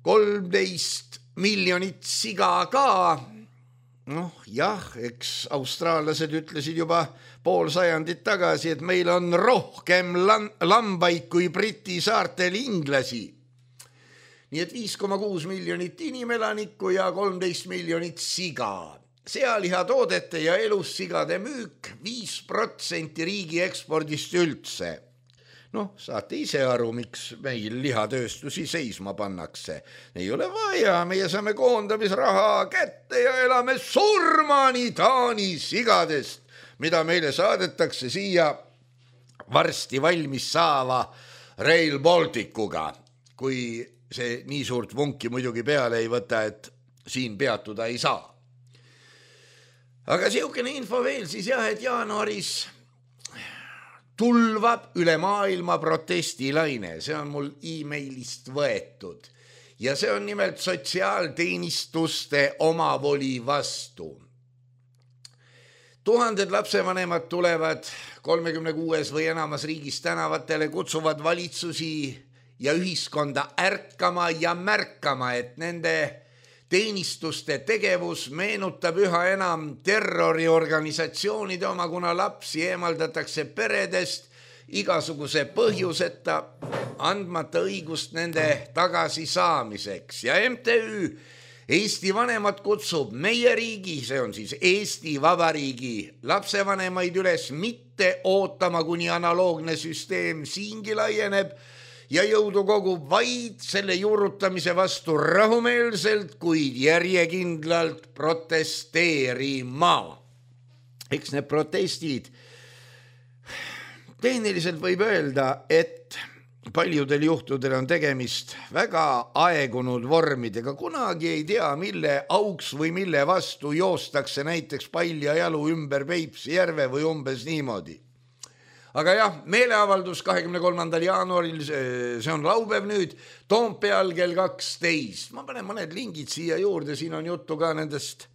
13 miljonit siga ka. Jah, eks austraallased ütlesid juba pool sajandit tagasi, et meil on rohkem lambaid kui Briti saartel inglasi. Nii et 5,6 miljonit inimelanikku ja 13 miljonit siga. Sealihatoodete ja elussigade müük 5% riigi ekspordist üldse. Saate ise aru, miks meil lihatööstusi seisma pannakse. Ei ole vaja, meie saame koondamisraha kätte ja elame surmani Taani sigadest, mida meile saadetakse siia varsti valmis saava Rail Balticuga, kui see nii suurt vunki muidugi peale ei võta, et siin peatuda ei saa. Aga siukene info veel siis jah, et jaanuaris tulvab üle maailma protestilaine, see on mul e-mailist võetud ja see on nimelt sotsiaalteenistuste omavoli vastu. Tuhanded lapsevanemad tulevad 36 või enamas riigis tänavatele, kutsuvad valitsusi ja ühiskonda ärkama ja märkama, et nende teenistuste tegevus meenutab üha enam terroriorganisatsioonide oma, kuna lapsi eemaldatakse peredest igasuguse põhjuseta, andmata õigust nende tagasisaamiseks. Ja MTÜ Eesti vanemad kutsub meie riigi, see on siis Eesti Vabariigi lapsevanemaid üles mitte ootama, kuni analoogne süsteem siingi laieneb, ja jõudu kogub vaid selle juurutamise vastu rahumeelselt, kuid järjekindlalt protesteerima. Eks need protestid, tehniliselt võib öelda, et paljudel juhtudel on tegemist väga aegunud vormidega, kunagi ei tea, mille auks või mille vastu joostakse näiteks paljajalu ümber Peipsi järve või umbes niimoodi. Aga jah, meeleavaldus 23. jaanuaril, see on laupäev nüüd, Toompeal kell 12. Ma panen mõned lingid siia juurde, siin on juttu ka nendest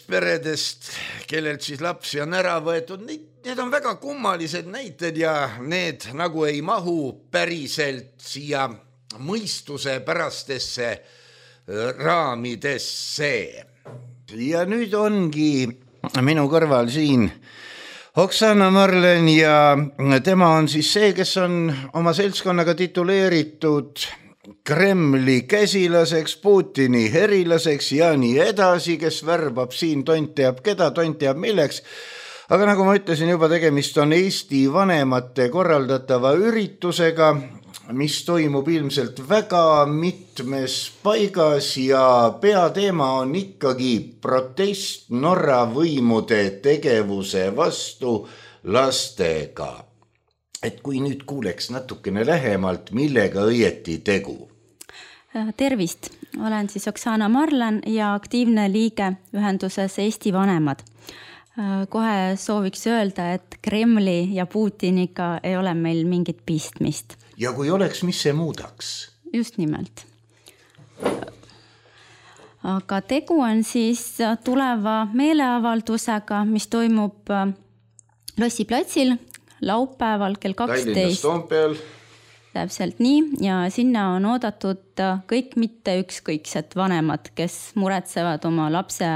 peredest, kellelt siis lapsi on ära võetud. Need on väga kummalised näited ja need nagu ei mahu päriselt siia mõistuse pärastesse raamidesse. Ja nüüd ongi minu kõrval siin Oksana Marlen ja tema on siis see, kes on oma seltskonnaga tituleeritud Kremli käsilaseks, Putini herilaseks ja nii edasi, kes värbab siin tont teab keda, tont teab milleks. Aga nagu ma ütlesin juba, tegemist on Eesti vanemate korraldatava üritusega, mis toimub ilmselt väga mitmes paigas ja peateema on ikkagi protest Norra võimude tegevuse vastu lastega. Et kui nüüd kuuleks natukene lähemalt, millega õieti tegu? Tervist, olen siis Oksana Marlen ja aktiivne liige ühenduses Eesti vanemad. Kohe sooviks öelda, et Kremli ja Putiniga ei ole meil mingit pistmist. Ja kui oleks, mis see muudaks? Just nimelt. Aga tegu on siis tuleva meeleavaldusega, mis toimub Lossi platsil laupäeval kell 12. Tallinnas Toompeal. Täpselt nii ja sinna on oodatud kõik mitte ükskõiksed vanemad, kes muretsevad oma laste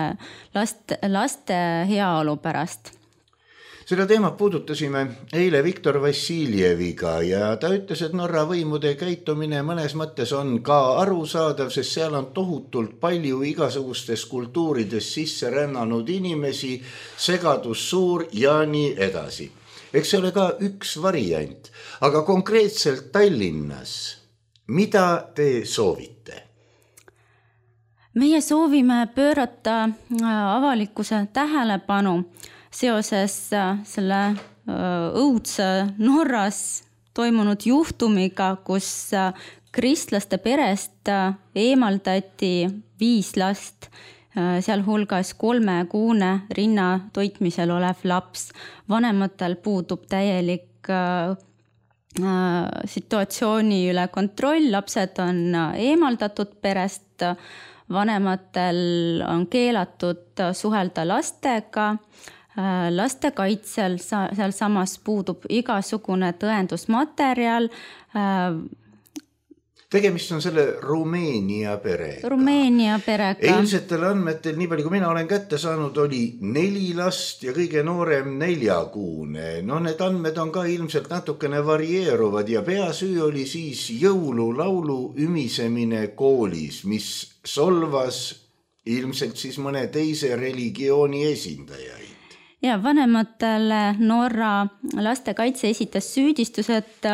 heaolu pärast. Seda teemat puudutasime eile Viktor Vassiljeviga ja ta ütles, et Norra võimude käitumine mõnes mõttes on ka arusaadav, sest seal on tohutult palju igasugustes kultuurides sisse rännanud inimesi, segadus suur ja nii edasi. Eks see ole ka üks variant, aga konkreetselt Tallinnas, mida te soovite? Meie soovime pöörata avalikkuse tähelepanu seoses selle õudse Norras toimunud juhtumiga, kus kristlaste perest eemaldati 5 last, sealhulgas 3-kuune rinna toitmisel olev laps. Vanematel puudub täielik situatsiooni üle kontroll, lapsed on eemaldatud perest, vanematel on keelatud suhelda lastega, laste kaitsel seal samas puudub igasugune tõendusmaterjal. Tegemist on selle Rumeenia perega. Eilsetel andmetel, nii palju kui mina olen kätte saanud, oli 4 last ja kõige noorem 4-kuune. No need andmed on ka ilmselt natukene varieeruvad ja peasüü oli siis jõululaulu ümisemine koolis, mis solvas ilmselt siis mõne teise religiooni esindajaid. Ja vanematele Norra lastekaitse esitas süüdistused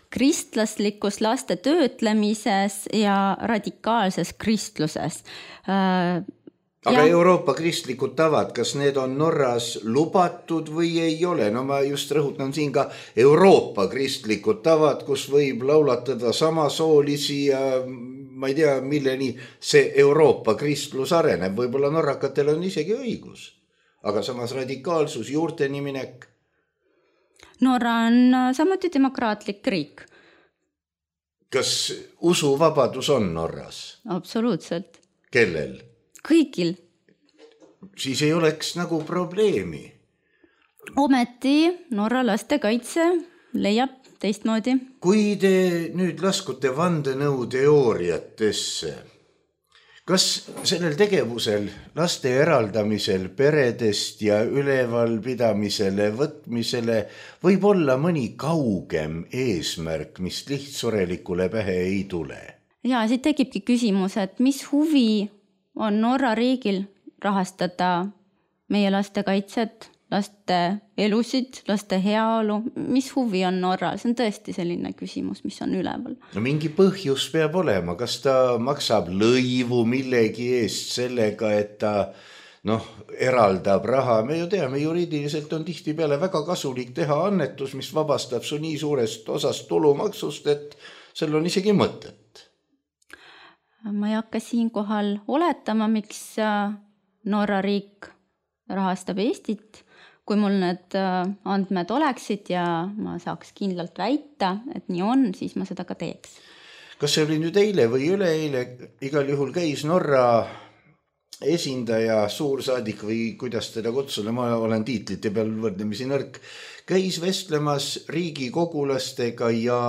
kristlaslikus laste töötlemises ja radikaalses kristluses. Aga Euroopa kristlikud tavad, kas need on Norras lubatud või ei ole? No ma just rõhutan siin ka Euroopa kristlikud tavad, kus võib laulatada samasoolisi ja ma ei tea, milleni see Euroopa kristlus areneb. Võib-olla norrakatel on isegi õigus. Aga samas radikaalsus, juurteni minek. Norra on samuti demokraatlik riik. Kas usuvabadus on Norras? Absoluutselt. Kellel? Kõigil. Siis ei oleks nagu probleemi. Ometi Norra lastekaitse leiab teistmoodi. Kui te nüüd laskute vandenõuteooriatesse, kas sellel tegevusel, laste eraldamisel, peredest ja ülevalpidamisele, võtmisele võib olla mõni kaugem eesmärk, mis lihtsurelikule pähe ei tule? Ja siit tekibki küsimus, et mis huvi on Norra riigil rahastada meie laste kaitset, laste elusid, laste heaolu, mis huvi on Norral? See on tõesti selline küsimus, mis on üleval. No mingi põhjus peab olema, kas ta maksab lõivu millegi eest sellega, et ta eraldab raha, me ju teame, juriidiliselt on tihtipeale väga kasulik teha annetus, mis vabastab su nii suurest osast tulumaksust, et seal on isegi mõtet. Ma ei hakka siinkohal oletama, miks Norra riik rahastab Eestit. Kui mul need andmed oleksid ja ma saaks kindlalt väita, et nii on, siis ma seda ka teeks. Kas see oli nüüd eile või üleeile, igal juhul käis Norra esindaja, suursaadik või kuidas teda kutsuda, ma olen tiitlite peal võrdlemisi nõrk, käis vestlemas riigikogulastega ja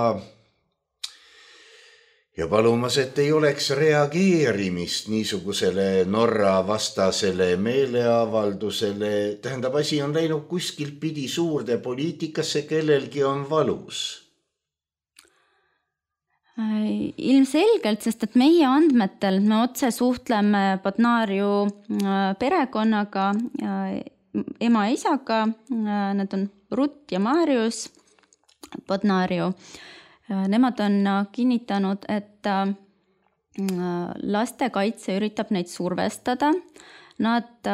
palumas, et ei oleks reageerimist niisugusele Norra vastasele meeleavaldusele. Tähendab, asi on läinud kuskilt pidi suurde poliitikasse, kellelgi on valus. Ilmselgelt, sest et meie andmetel me otse suhtleme Bodnariu perekonnaga, ema ja isaga, need on Rutt ja Marius Bodnariu. Nemad on kinnitanud, et lastekaitse üritab neid survestada. Nad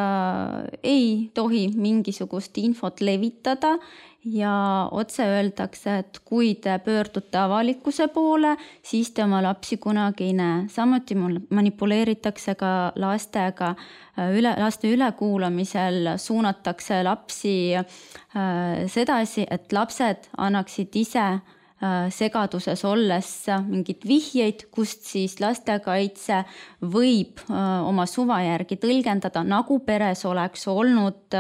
ei tohi mingisugust infot levitada ja otse öeldakse, et kui te pöördute avalikkuse poole, siis te oma lapsi kunagi ei näe. Samuti manipuleeritakse ka lastega. Laste ülekuulamisel suunatakse lapsi sedasi, et lapsed annaksid ise segaduses olles mingid vihjeid, kust siis lastekaitse võib oma suva järgi tõlgendada, nagu peres oleks olnud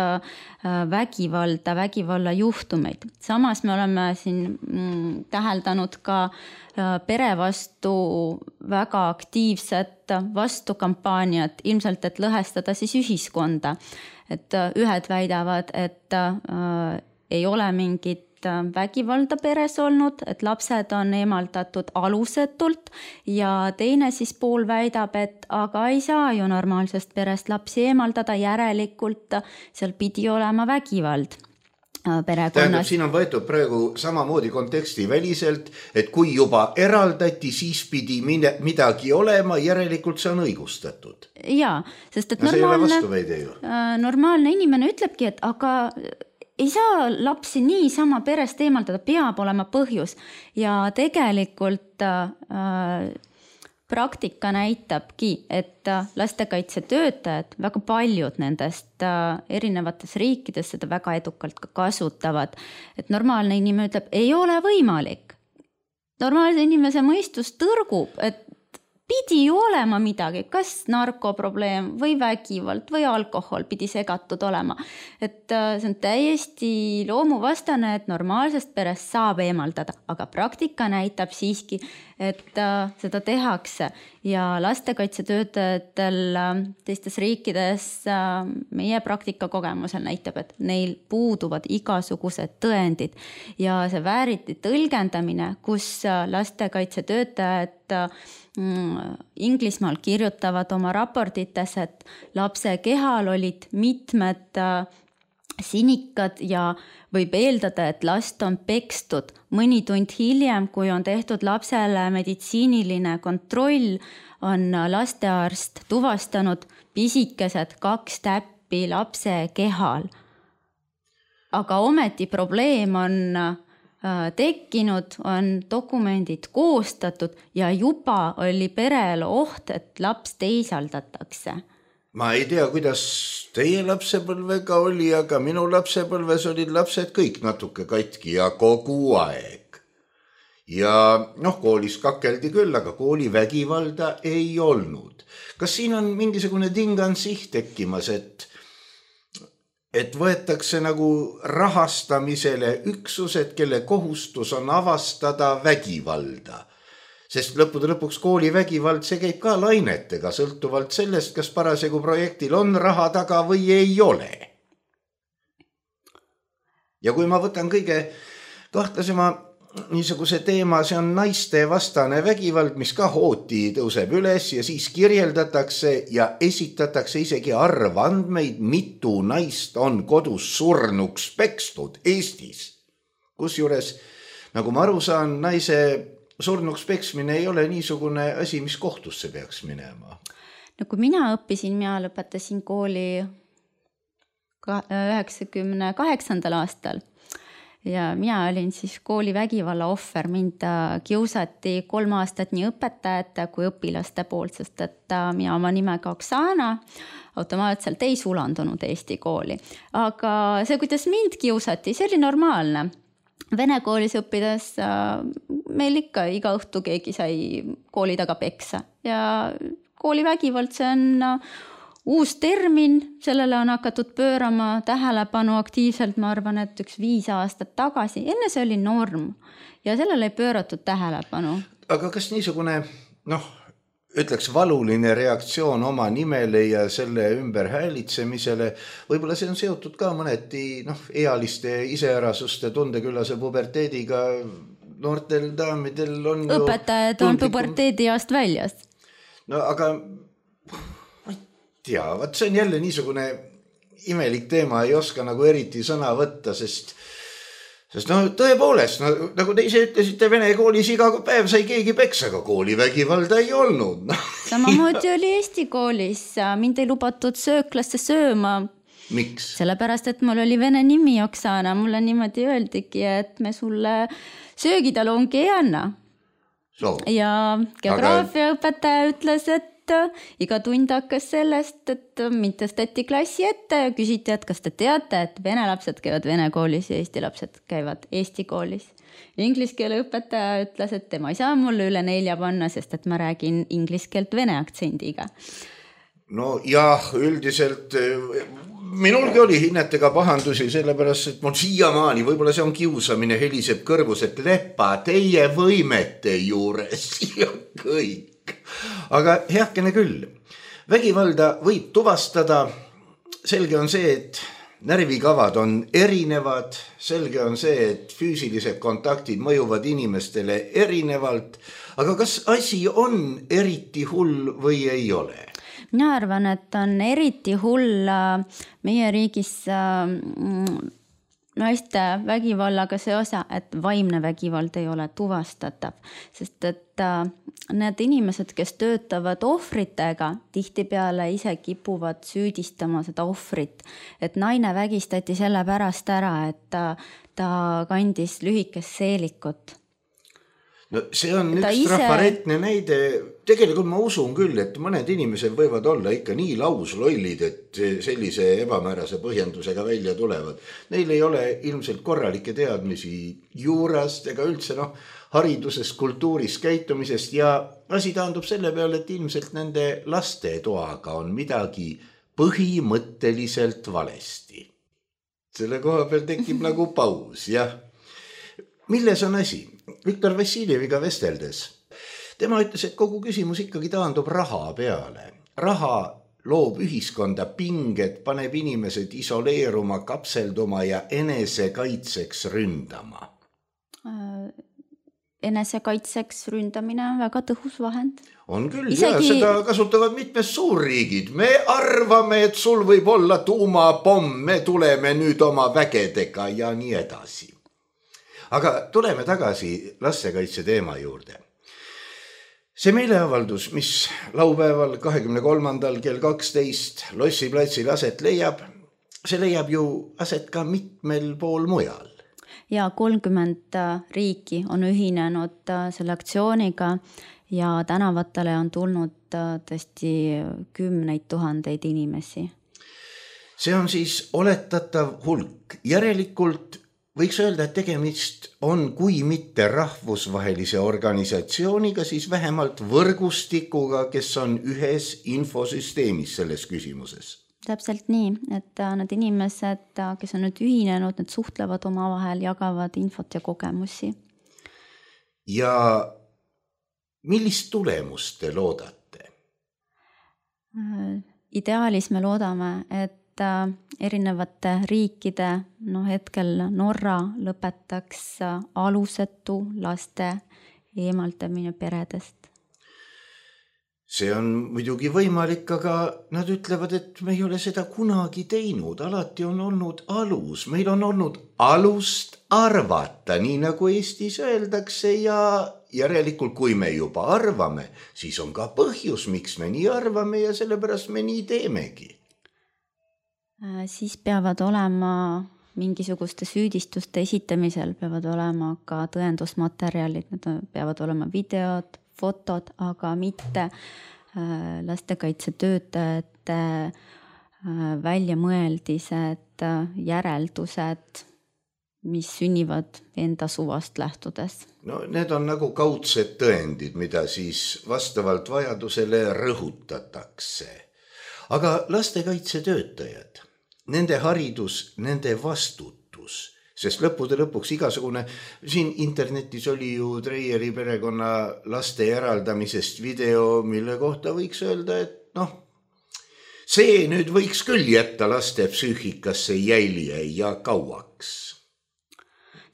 vägivalla juhtumeid. Samas me oleme siin täheldanud ka pere vastu väga aktiivset vastukampaaniat, ilmselt et lõhestada siis ühiskonda. Et ühed väidavad, et ei ole mingit vägivalda peres olnud, et lapsed on eemaldatud alusetult ja teine siis pool väidab, et aga ei saa ju normaalsest perest lapsi eemaldada, järelikult seal pidi olema vägivald perekonnas. Tähendab, siin on võetud praegu samamoodi konteksti väliselt, et kui juba eraldati, siis pidi midagi olema, järelikult see on õigustatud. Jaa, sest et normaalne inimene ütlebki, et aga ei saa lapsi niisama perest eemaldada, peab olema põhjus. Ja tegelikult praktika näitabki, et lastekaitsetöötajad, väga paljud nendest erinevates riikides seda väga edukalt ka kasutavad. Et normaalne inimene ütleb, ei ole võimalik. Normaalse inimese mõistus tõrgub, et pidi ju olema midagi, kas narkoprobleem või vägivald või alkohol pidi segatud olema. Et see on täiesti loomuvastane, et normaalsest perest saab eemaldada, aga praktika näitab siiski, et seda tehakse. Ja lastekaitsetöötajatel teistes riikides meie praktika kogemusel näitab, et neil puuduvad igasugused tõendid. Ja see vääriti tõlgendamine, kus lastekaitsetöötajad Inglismaal kirjutavad oma raportites, et lapse kehal olid mitmed sinikad ja võib eeldada, et last on pekstud. Mõni tund hiljem, kui on tehtud lapsele meditsiiniline kontroll, on lastearst tuvastanud pisikesed 2 täppi lapse kehal. Aga ometi probleem on tekkinud, on dokumendid koostatud ja juba oli perel oht, et laps teisaldatakse. Ma ei tea, kuidas teie lapsepõlvega oli, aga minu lapsepõlves olid lapsed kõik natuke katki ja kogu aeg. Ja koolis kakeldi küll, aga kooli vägivalda ei olnud. Kas siin on mingisugune tingansiht tekkimas, et võetakse nagu rahastamisele üksused, kelle kohustus on avastada vägivalda. Sest lõppude lõpuks kooli vägivald, see käib ka lainetega, sõltuvalt sellest, kas parasjagu projektil on raha taga või ei ole. Ja kui ma võtan kõige kahtlasema niisuguse teema, see on naiste vastane vägivald, mis ka hooti tõuseb üles ja siis kirjeldatakse ja esitatakse isegi arvandmeid, mitu naist on kodus surnuks pekstud Eestis. Kusjuures, nagu ma aru saan, naise surnuks peksmine ei ole niisugune asi, mis kohtusse peaks minema. No kui mina õppisin, mina lõpetasin kooli 1998. aastal ja mina olin siis koolivägivalla ohver, mind kiusati 3 aastat nii õpetajate kui õpilaste poolt, sest et mina oma nimega Oksana automaatselt ei sulandunud Eesti kooli. Aga see, kuidas mind kiusati, see oli normaalne. Vene koolis õppides meil ikka iga õhtu keegi sai kooli taga peksa ja koolivägivald, see on uus termin, sellele on hakatud pöörama tähelepanu aktiivselt, ma arvan, et 5 aastat tagasi. Enne see oli norm ja sellele ei pööratud tähelepanu. Aga kas niisugune, ütleks valuline reaktsioon oma nimele ja selle ümber häälitsemisele, võib-olla see on seotud ka mõneti ealiste iseärasuste tundeküllase puberteediga, noortel daamidel on õpetajad on puberteediast väljas. No aga ma ei tea, see on jälle niisugune imelik teema, ei oska nagu eriti sõna võtta, sest tõepoolest, nagu te ise ütlesite, Vene koolis iga päev sai keegi peksa, aga koolivägivalda ei olnud. Samamoodi oli Eesti koolis, mind ei lubatud sööklasse sööma. Miks? Sellepärast, et mul oli vene nimi Oksana, mulle niimoodi öeldigi, et me sulle söögitalongi ei anna. Ja geograafiaõpetaja ütles, et iga tund hakkas sellest, et mind tõsteti klassi ette ja küsiti, et kas te teate, et vene lapsed käivad vene koolis ja Eesti lapsed käivad Eesti koolis. Ingliskeele õpetaja ütles, et tema ei saa mulle üle 4 panna, sest et ma räägin ingliskeelt vene aktsendiga. No jah, üldiselt minulgi oli hinnetega pahandusi, sellepärast, et mul siiamaani, võib-olla see on kiusamine, heliseb kõrvus, et lepa teie võimete juures ja kõik. Aga heakene küll, vägivalda võib tuvastada, selge on see, et närvikavad on erinevad, selge on see, et füüsilised kontaktid mõjuvad inimestele erinevalt, aga kas asi on eriti hull või ei ole? Mina arvan, et on eriti hull meie riigis naiste vägivallaga see osa, et vaimne vägivald ei ole tuvastatav, sest et need inimesed, kes töötavad ohvritega, tihtipeale ise kipuvad süüdistama seda ohvrit, et naine vägistati selle pärast ära, et ta kandis lühikest seelikut. No see on üks trafaretne näide. Tegelikult ma usun küll, et mõned inimesed võivad olla ikka nii lauslollid, et sellise ebamäärase põhjendusega välja tulevad. Neil ei ole ilmselt korralikke teadmisi juurast ega üldse haridusest, kultuurist, käitumisest ja asi taandub selle peale, et ilmselt nende laste toaga on midagi põhimõtteliselt valesti. Selle koha peal tekib nagu paus, jah. Milles on asi? Viktor Vassiljeviga vesteldes. Tema ütles, et kogu küsimus ikkagi taandub raha peale. Raha loob ühiskonda pinged, paneb inimesed isoleeruma, kapselduma ja enesekaitseks ründama. Enesekaitseks ründamine on väga tõhus vahend. On küll, ja seda kasutavad mitmes suurriigid. Me arvame, et sul võib olla tuumapomm, me tuleme nüüd oma vägedega ja nii edasi. Aga tuleme tagasi lastekaitse teema juurde. See meeleavaldus, mis laupäeval 23. kell 12 Lossi platsil aset leiab, see leiab ju aset ka mitmel pool mujal. Ja 30 riiki on ühinenud selle aktsiooniga ja tänavatele on tulnud tõesti 10 000 inimesi. See on siis oletatav hulk. Järelikult võiks öelda, et tegemist on, kui mitte rahvusvahelise organisatsiooniga, siis vähemalt võrgustikuga, kes on ühes infosüsteemis selles küsimuses. Täpselt nii, et need inimesed, kes on nüüd ühinenud, need suhtlevad omavahel, jagavad infot ja kogemusi. Ja millist tulemust te loodate? Ideaalis me loodame, et erinevate riikide, hetkel Norra lõpetaks alusetu laste eemaldamine peredest. See on muidugi võimalik, aga nad ütlevad, et me ei ole seda kunagi teinud. Alati on olnud alus. Meil on olnud alust arvata, nii nagu Eestis öeldakse ja järelikult, kui me juba arvame, siis on ka põhjus, miks me nii arvame ja sellepärast me nii teemegi. Siis peavad olema mingisuguste süüdistuste esitamisel, peavad olema ka tõendusmaterjalid, need peavad olema videod, fotod, aga mitte lastekaitsetöötajate väljamõeldised, järeldused, mis sünnivad enda suvast lähtudes. No need on nagu kaudsed tõendid, mida siis vastavalt vajadusele rõhutatakse. Aga lastekaitsetöötajad, nende haridus, nende vastutus, sest lõppude lõpuks igasugune, siin internetis oli ju Treieri perekonna laste eraldamisest video, mille kohta võiks öelda, et see nüüd võiks küll jätta laste psüühikasse jälje ja kauaks.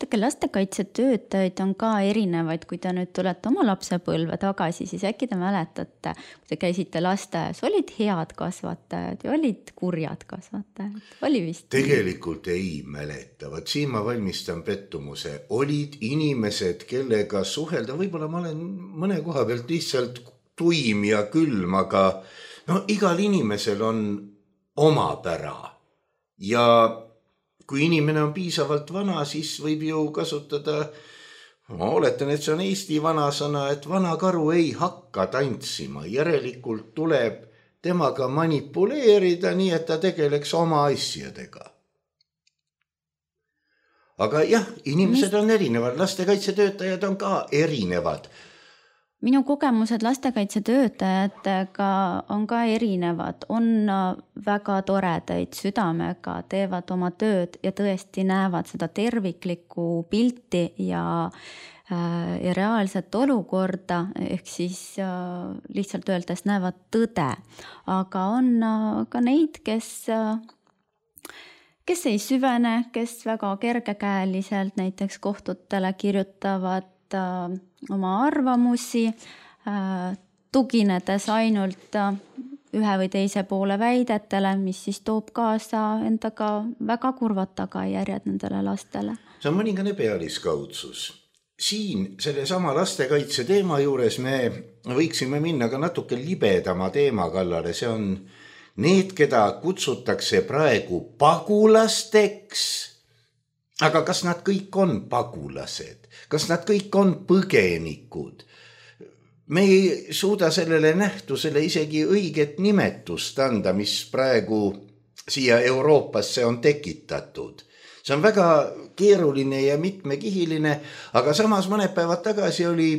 Lastekaitsetöötajaid on ka erinevaid, kui te nüüd tulete oma lapsepõlve tagasi, siis äkki te mäletate, kui te käisite lasteaias, olid head kasvatajad ja olid kurjad kasvatajad, oli vist? Tegelikult ei mäleta, vaat siin ma valmistan pettumuse, olid inimesed, kellega suhelda, võib-olla ma olen mõne koha pealt lihtsalt tuim ja külm, aga igal inimesel on oma pära ja kui inimene on piisavalt vana, siis võib ju kasutada, ma oletan, et see on Eesti vanasõna, et vana karu ei hakka tantsima. Järelikult tuleb temaga manipuleerida nii, et ta tegeleks oma asjadega. Aga jah, inimesed on erinevad, lastekaitsetöötajad on ka erinevad. Minu kogemused lastekaitsetöötajatega on ka erinevad, on väga toredaid südamega, teevad oma tööd ja tõesti näevad seda terviklikku pilti ja reaalset olukorda, ehk siis lihtsalt öeldes näevad tõde. Aga on ka neid, kes ei süvene, kes väga kergekäeliselt näiteks kohtutele kirjutavad oma arvamusi, tuginedes ainult ühe või teise poole väidetele, mis siis toob kaasa endaga väga kurvad tagajärjed nendele lastele. See on mõningane pealiskaudsus. Siin sellesama lastekaitse teema juures me võiksime minna ka natuke libedama teema kallale. See on need, keda kutsutakse praegu pagulasteks. Aga kas nad kõik on pagulased? Kas nad kõik on põgenikud? Me ei suuda sellele nähtusele isegi õiget nimetust anda, mis praegu siia Euroopasse on tekitatud. See on väga keeruline ja mitmekihiline, aga samas mõned päevad tagasi oli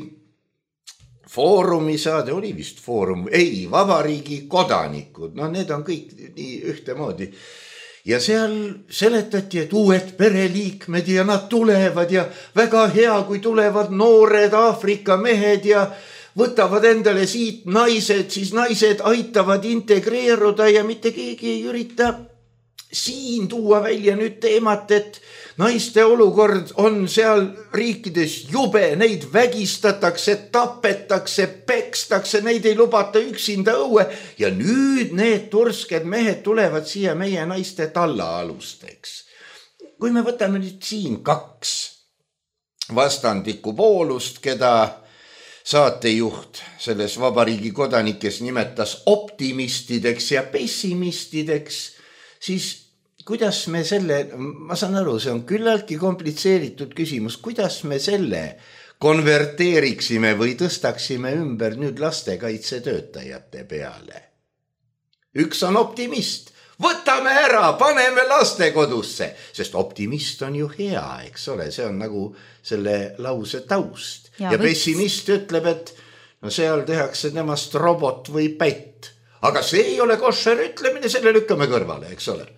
Foorumi saade, oli vist Foorum, Vabariigi kodanikud, need on kõik nii ühtemoodi. Ja seal seletati, et uued pereliikmed ja nad tulevad ja väga hea, kui tulevad noored Aafrika mehed ja võtavad endale siit naised, siis naised aitavad integreeruda ja mitte keegi ei ürita siin tuua välja nüüd teemat, et naiste olukord on seal riikides jube, neid vägistatakse, tapetakse, pekstakse, neid ei lubata üksinda õue ja nüüd need tursked mehed tulevad siia meie naiste tallaalusteks. Kui me võtame nüüd siin 2 vastandikku poolust, keda saatejuht selles Vabariigi kodanikes nimetas optimistideks ja pessimistideks, siis kuidas me selle, ma saan aru, see on küllaltki komplitseeritud küsimus, kuidas me selle konverteeriksime või tõstaksime ümber nüüd lastekaitsetöötajate peale? Üks on optimist, võtame ära, paneme lastekodusse, sest optimist on ju hea, eks ole, see on nagu selle lause taust. Ja pessimist ütleb, et seal tehakse temast robot või pätt, aga see ei ole košer ütlemine, selle lükkame kõrvale, eks ole.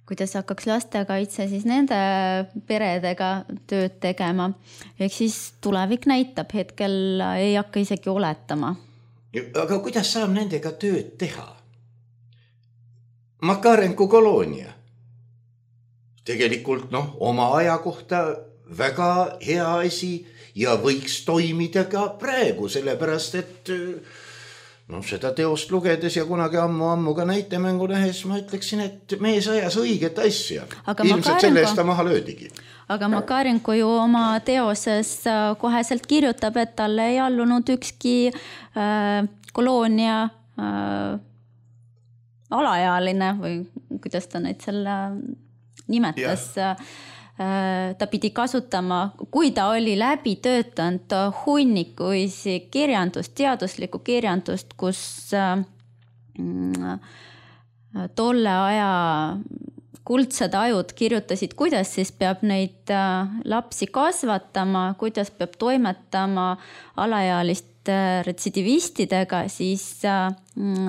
Kuidas hakkaks lastekaitse siis nende peredega tööd tegema. Ehk siis tulevik näitab, hetkel ei hakka isegi oletama. Aga kuidas saab nendega tööd teha? Makarenko koloonia. Tegelikult oma aja kohta väga hea asi ja võiks toimida ka praegu, sellepärast et seda teost lugedes ja kunagi ammu ka näitemängu nähes ma ütleksin, et mees ajas õiget asja. Ilmselt selle eest ta maha löödigi. Aga Makarenko ju oma teoses koheselt kirjutab, et talle ei allunud ükski koloonia alaealine või kuidas ta neid selle nimetas, ta pidi kasutama, kui ta oli läbi töötanud hunnikuisi kirjandust, teaduslikku kirjandust, kus tolle aja kuldsed ajud kirjutasid, kuidas siis peab neid lapsi kasvatama, kuidas peab toimetama alaealiste retsidivistidega, siis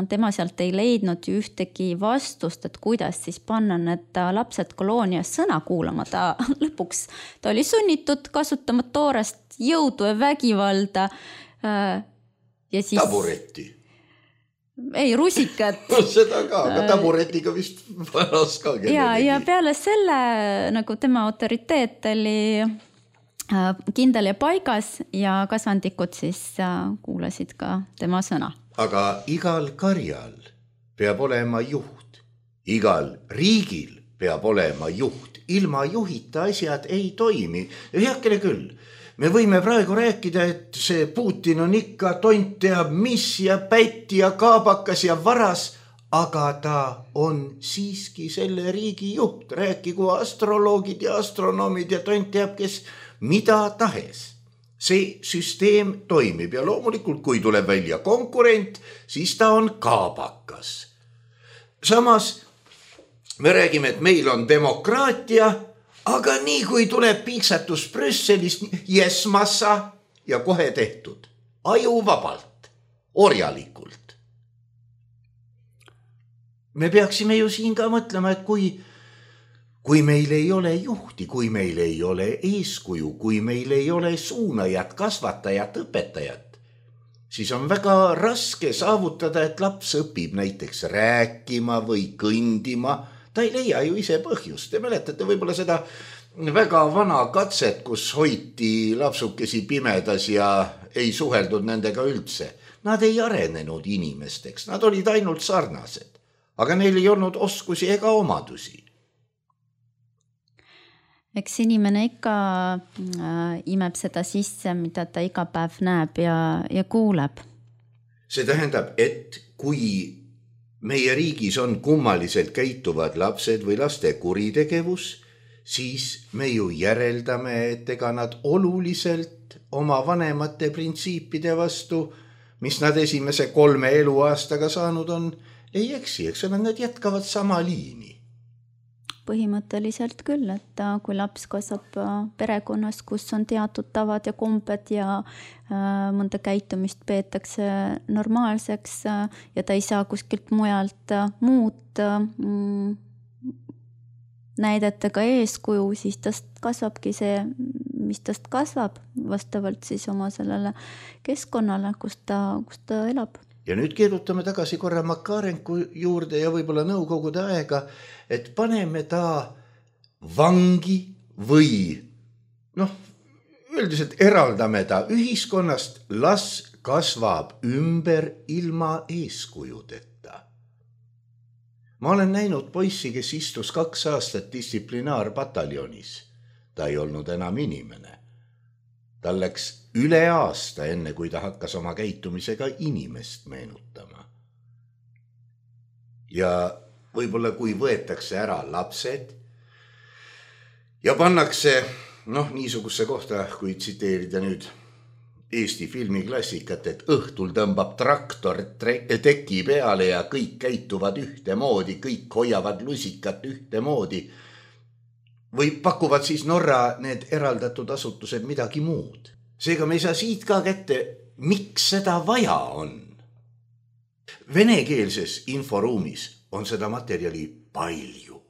tema sealt ei leidnud ju ühtegi vastust, et kuidas siis panna need lapsed koloonias sõna kuulama. Ta lõpuks ta oli sunnitud kasutama toorest jõudu ja vägivalda. Ja siis... Taburetti. Ei, rusikat. Seda ka, aga taburetiga vist varas ka. Ja peale selle nagu tema autoriteet oli kindel ja paigas ja kasvandikud siis kuulasid ka tema sõna. Aga igal karjal peab olema juht. Igal riigil peab olema juht. Ilma juhita asjad ei toimi. Heakene küll. Me võime praegu rääkida, et see Putin on ikka tont teab mis ja pätti ja kaabakas ja varas, aga ta on siiski selle riigi juht. Rääkigu astroloogid ja astronoomid ja tont teab, kes mida tahes. See süsteem toimib ja loomulikult, kui tuleb välja konkurent, siis ta on kaabakas. Samas me räägime, et meil on demokraatia, aga nii kui tuleb piiksatus Brüsselist, yes massa ja kohe tehtud. Aju vabalt, orjalikult. Me peaksime ju siin ka mõtlema, et kui meil ei ole juhti, kui meil ei ole eeskuju, kui meil ei ole suunajat, kasvatajat, õpetajat, siis on väga raske saavutada, et laps õpib näiteks rääkima või kõndima. Ta ei leia ju ise põhjust. Te mäletate võib-olla seda väga vana katset, kus hoiti lapsukesi pimedas ja ei suheldud nendega üldse. Nad ei arenenud inimesteks, nad olid ainult sarnased, aga neil ei olnud oskusi ega omadusi. Eks inimene ikka imeb seda sisse, mida ta iga päev näeb ja kuuleb. See tähendab, et kui meie riigis on kummaliselt käituvad lapsed või laste kuritegevus, siis me ju järeldame, et ega nad oluliselt oma vanemate printsiipide vastu, mis nad esimese 3 eluaastaga saanud on, ei eksi, eks ole, nad jätkavad sama liini. Põhimõtteliselt küll, et kui laps kasvab perekonnas, kus on teatud tavad ja kombed ja mõnda käitumist peetakse normaalseks ja ta ei saa kuskilt mujalt muud näidetega eeskuju, siis tast kasvabki see, mis tast kasvab vastavalt siis oma sellele keskkonnale, kus ta elab. Ja nüüd keerutame tagasi korra Makarenko juurde ja võib-olla nõukogude aega, et paneme ta vangi või üldiselt eraldame ta ühiskonnast, las kasvab ümber ilma eeskujudeta. Ma olen näinud poissi, kes istus 2 aastat distsiplinaarpataljonis. Ta ei olnud enam inimene. Tal läks üle aasta enne, kui ta hakkas oma käitumisega inimest meenutama. Ja võib-olla kui võetakse ära lapsed ja pannakse niisuguse kohta, kui tsiteerida nüüd Eesti filmiklassikat, et õhtul tõmbab traktor teki peale ja kõik käituvad ühtemoodi, kõik hoiavad lusikat ühtemoodi, või pakuvad siis Norra need eraldatud asutused midagi muud. Seega me ei saa siit ka kätte, miks seda vaja on. Venekeelses inforuumis on seda materjali palju.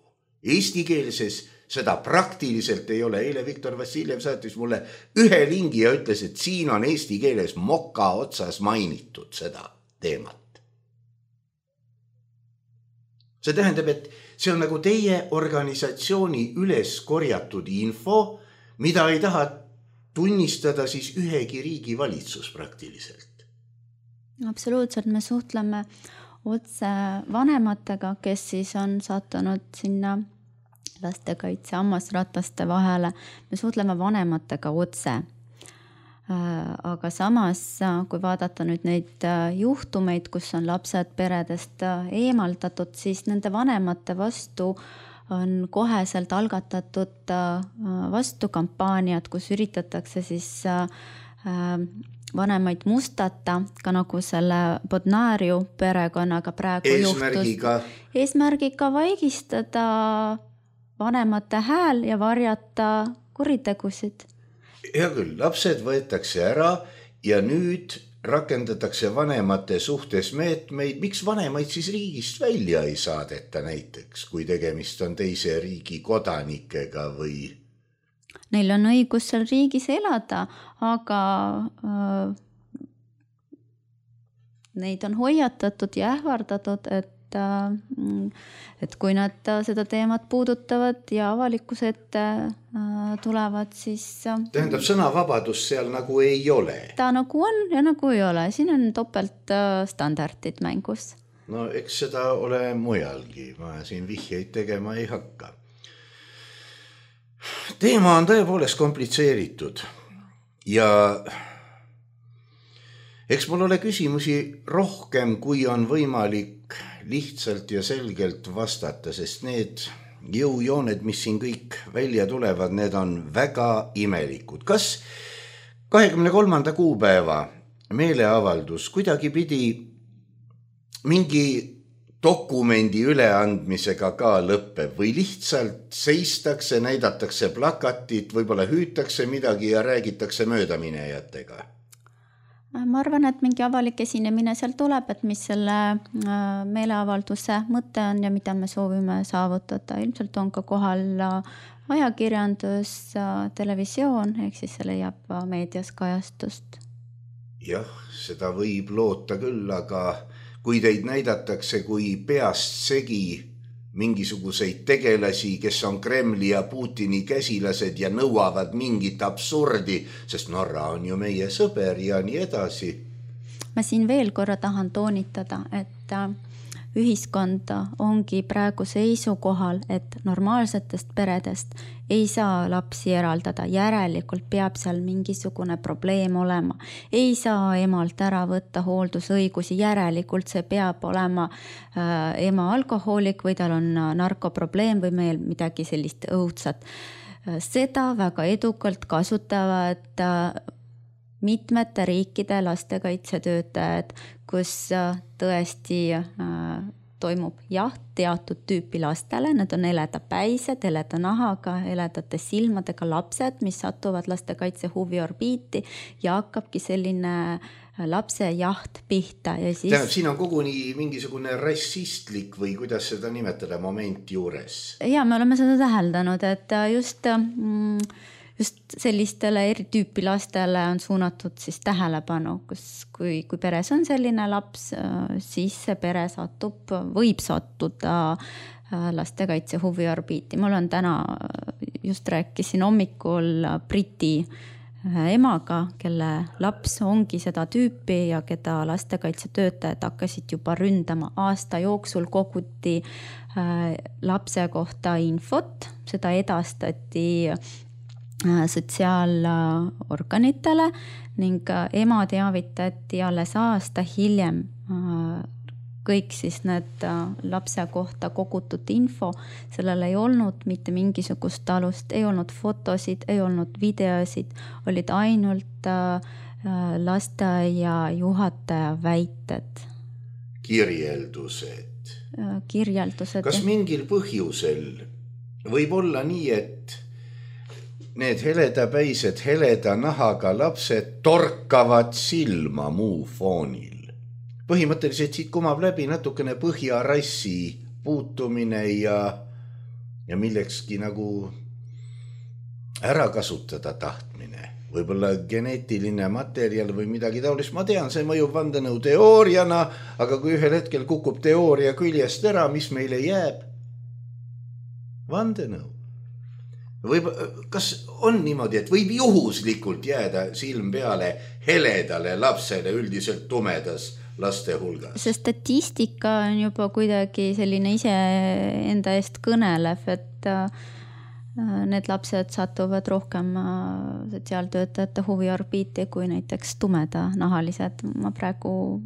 Eestikeelses seda praktiliselt ei ole. Eile Viktor Vassiljev saatis mulle 1 lingi ja ütles, et siin on eesti keeles moka otsas mainitud seda teemat. See tähendab, et see on nagu teie organisatsiooni üles korjatud info, mida ei taha tunnistada siis ühegi riigi valitsus praktiliselt. Absoluutselt, me suhtleme otse vanematega, kes siis on sattunud sinna lastekaitse hammasrataste vahele. Me suhtleme vanematega otse. Aga samas, kui vaadata nüüd neid juhtumeid, kus on lapsed peredest eemaldatud, siis nende vanemate vastu on koheselt algatatud vastukampaaniad, kus üritatakse siis vanemaid mustata, ka nagu selle Bodnariu perekonnaga praegu eesmärgiga vaigistada vanemate hääl ja varjata kuritegusid. Hea küll, lapsed võetakse ära ja nüüd rakendatakse vanemate suhtes meetmeid. Miks vanemaid siis riigist välja ei saadeta näiteks, kui tegemist on teise riigi kodanikega või? Neil on õigus seal riigis elada, aga neid on hoiatatud ja ähvardatud, et kui nad seda teemat puudutavad ja avalikkuse ette tulevad, siis... Tähendab, sõnavabadus seal nagu ei ole? Ta nagu on ja nagu ei ole. Siin on topelt standardid mängus. No eks seda ole mujalgi. Ma siin vihjeid tegema ei hakka. Teema on tõepoolest komplitseeritud ja eks mul ole küsimusi rohkem, kui on võimalik lihtsalt ja selgelt vastata, sest need jõujooned, mis siin kõik välja tulevad, need on väga imelikud. Kas 23. kuupäeva meeleavaldus kuidagi pidi mingi dokumendi üleandmisega ka lõpeb või lihtsalt seistakse, näidatakse plakatit, võib-olla hüütakse midagi ja räägitakse möödaminejatega? Ma arvan, et mingi avalik esinemine seal tuleb, et mis selle meeleavalduse mõte on ja mida me soovime saavutada. Ilmselt on ka kohal ajakirjandus, televisioon, ehk siis see leiab meedias kajastust. Jah, seda võib loota küll, aga kui teid näidatakse kui peast segi mingisuguseid tegelasi, kes on Kremli ja Putini käsilased ja nõuavad mingit absurdi, sest Norra on ju meie sõber ja nii edasi. Ma siin veel korra tahan toonitada, et ühiskond ongi praegu seisukohal, et normaalsetest peredest ei saa lapsi eraldada. Järelikult peab seal mingisugune probleem olema. Ei saa emalt ära võtta hooldusõigusi. Järelikult see peab olema ema alkohoolik või tal on narkoprobleem või meil midagi sellist õudsat. Seda väga edukalt kasutavad mitmete riikide lastekaitsetöötajad, kus tõesti toimub jaht teatud tüüpi lastele. Need on heledapäised, heleda nahaga, heledate silmadega lapsed, mis satuvad lastekaitse huviorbiiti ja hakkabki selline lapse jaht pihta. Ja siis... Tähendab, siin on koguni mingisugune rassistlik või kuidas seda nimetada moment juures? Ja me oleme seda täheldanud, et just sellistele eritüüpi lastele on suunatud siis tähelepanu, kui peres on selline laps, siis see pere võib sattuda lastekaitse huviorbiiti. Mul on täna, just rääkisin hommikul Briti emaga, kelle laps ongi seda tüüpi ja keda lastekaitsetöötajad hakkasid juba ründama. Aasta jooksul koguti lapse kohta infot, seda edastati sotsiaalorganitele ning ema teavitati alles aasta hiljem kõik siis need lapse kohta kogutud info. Sellel ei olnud mitte mingisugust alust, ei olnud fotosid, ei olnud videosid, olid ainult lasteaia juhataja väited. Kirjeldused. Kirjeldused. Kas mingil põhjusel võib olla nii, et need heledapäised, heleda nahaga lapsed torkavad silma muu foonil? Põhimõtteliselt siit kumab läbi natukene põhjarassi puutumine ja millekski nagu ära kasutada tahtmine. Võib-olla geneetiline materjal või midagi taolist. Ma tean, see mõjub vandenõu teooriana, aga kui ühel hetkel kukub teooria küljest ära, mis meile jääb? Vandenõu. Kas on niimoodi, et võib juhuslikult jääda silm peale heledale lapsele üldiselt tumedas laste hulgas? See statistika on juba kuidagi selline ise enda eest kõnelev, et need lapsed satuvad rohkem sotsiaaltöötajate huviorbiiti kui näiteks tumedanahalised. Ma praegu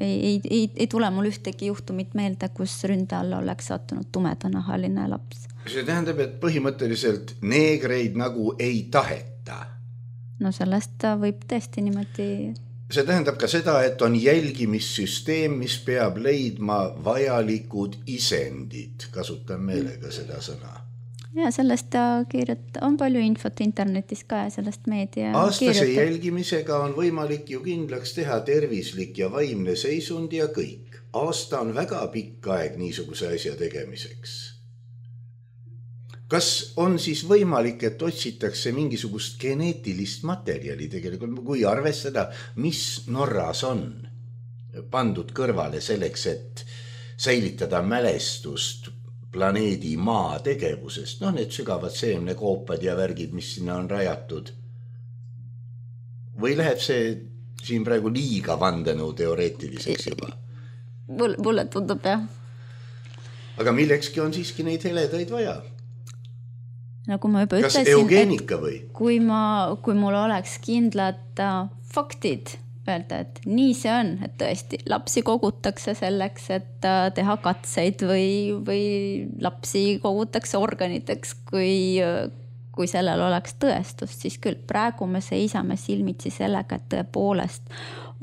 ei tule mul ühtegi juhtumit meelde, kus ründe alla oleks sattunud tumedanahaline laps. See tähendab, et põhimõtteliselt neegreid nagu ei taheta. No sellest võib tõesti niimoodi... See tähendab ka seda, et on jälgimissüsteem, mis peab leidma vajalikud isendid. Kasutan meelega seda sõna. Ja sellest on palju infot internetis ka ja sellest meedia Aastase jälgimisega on võimalik ju kindlaks teha tervislik ja vaimne seisund ja kõik. Aasta on väga pikk aeg niisuguse asja tegemiseks. Kas on siis võimalik, et otsitakse mingisugust geneetilist materjali tegelikult, kui arvestada, mis Norras on pandud kõrvale selleks, et säilitada mälestust planeedi maa tegevusest, need sügavad seemnekoopad ja värgid, mis sinna on rajatud. Või läheb see siin praegu liiga vandenõu teoreetiliseks juba? Mulle tundub, jah. Aga millekski on siiski neid heledaid vaja? Nagu ma juba ütlesin, kas eugeenika või? Kui mul oleks kindlad faktid öelda, et nii see on, et tõesti lapsi kogutakse selleks, et teha katseid või lapsi kogutakse organiteks, kui sellel oleks tõestust, siis küll praegu me seisame silmitsi sellega, et tõepoolest